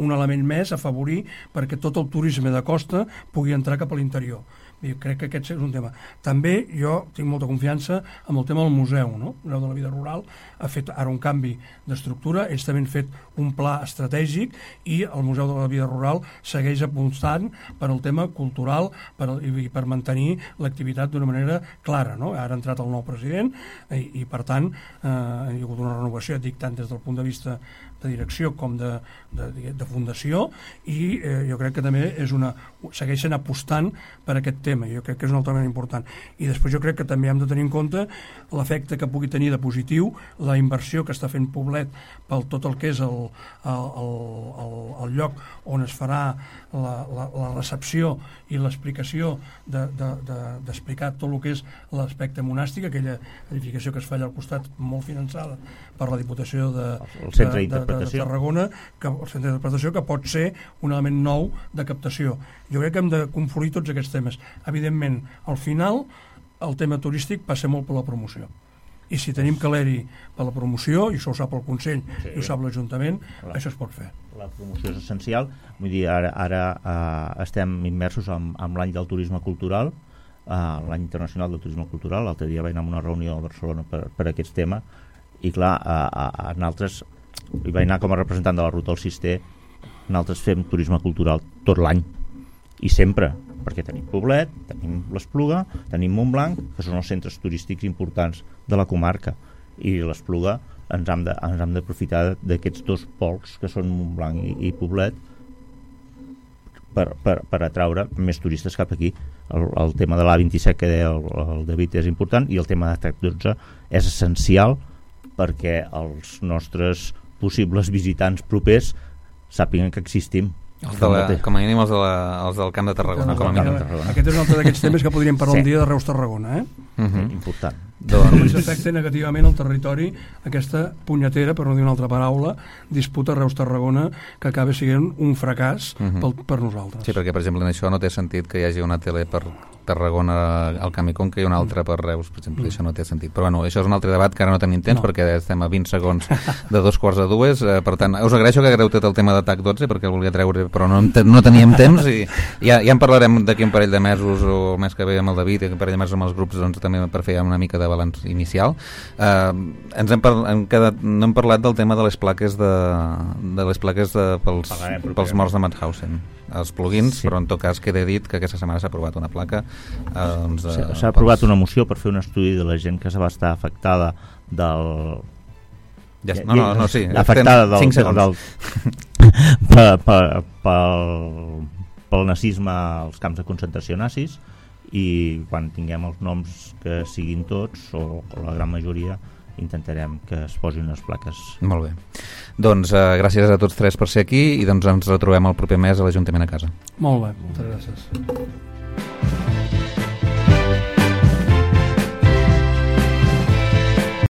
un element més a afavorir perquè tot el turisme de costa pugui entrar cap a l'interior. Jo crec que aquest és un tema. També jo tinc molta confiança en el tema del museu, no? El Museu de la Vida Rural ha fet ara un canvi d'estructura, ells també han fet un pla estratègic i el Museu de la Vida Rural segueix apostant per al tema cultural i per mantenir l'activitat d'una manera clara, no? Ara ha entrat el nou president i per tant hi ha hagut una renovació, dic tant des del punt de vista de direcció com de fundació, i jo crec que també segueixen apostant per aquest tema. Jo crec que és un altre element important. I després jo crec que també hem de tenir en compte l'efecte que pugui tenir de positiu la inversió que està fent Poblet pel tot el que és el lloc on es farà la recepció i l'explicació d'explicar tot el que és l'aspecte monàstic, aquella edificació que es fa allà al costat, molt finançada per la Diputació de Tarragona, el centre d'interpretació, que pot ser un element nou de captació. Jo crec que hem de confluir tots aquests temes. Evidentment, al final, el tema turístic passa molt per la promoció. I si tenim caleri per la promoció, i això ho sap el Consell i ho sap l'Ajuntament, això es pot fer.
La promoció és essencial. Vull dir, ara estem immersos en l'any del turisme cultural, l'any internacional del turisme cultural. L'altre dia vaig anar a una reunió a Barcelona per aquests temes, i clar, nosaltres hi vaig anar com a representant de la Ruta del Cister. Nosaltres fem turisme cultural tot l'any i sempre, perquè tenim Poblet, tenim l'Espluga, tenim Montblanc, que són els centres turístics importants de la comarca, i l'Espluga ens hem d'aprofitar d'aquests dos pols que són Montblanc i Poblet per atraure més turistes cap aquí. El tema de l'A27 que deia el David és important, i el tema de TAC 12 és essencial perquè els nostres possibles visitants propers sàpiguen que existim.
Com a mínim els del Camp de Tarragona.
Aquest és un altre d'aquests temes que podríem parlar un dia de Reus-Tarragona.
Important.
Com s'afecta negativament el territori aquesta punyetera, per no dir una altra paraula, disputa Reus-Tarragona, que acaba sent un fracàs per nosaltres.
Sí, perquè per exemple en això no té sentit que hi hagi una tele per Tarragona al Camp i Conca i una altra per Reus, per exemple, això no té sentit. Però bueno, això és un altre debat que ara no tenim temps perquè estem a 20 segons de 2:45, per tant, us agraeixo que hagueu tot el tema de TAC 12 perquè el volia treure, però no teníem temps, i ja en parlarem d'aquí un parell de mesos o el mes que ve amb el David, i un parell de mesos amb els grups, doncs, també per fer una mica de balanç inicial. No hem parlat del tema de les plaques pels morts de Mauthausen, els plugins, però en tot cas queda dit que aquesta setmana s'ha aprovat una placa.
S'ha aprovat una moció per fer un estudi de la gent que va estar afectada pel nazisme als camps de concentració nazis, i quan tinguem els noms que siguin tots o la gran majoria intentarem que es posin unes plaques.
Molt bé. Doncs gràcies a tots tres per ser aquí, i doncs ens retrobem el proper mes a l'Ajuntament a Casa.
Molt bé, moltes gràcies.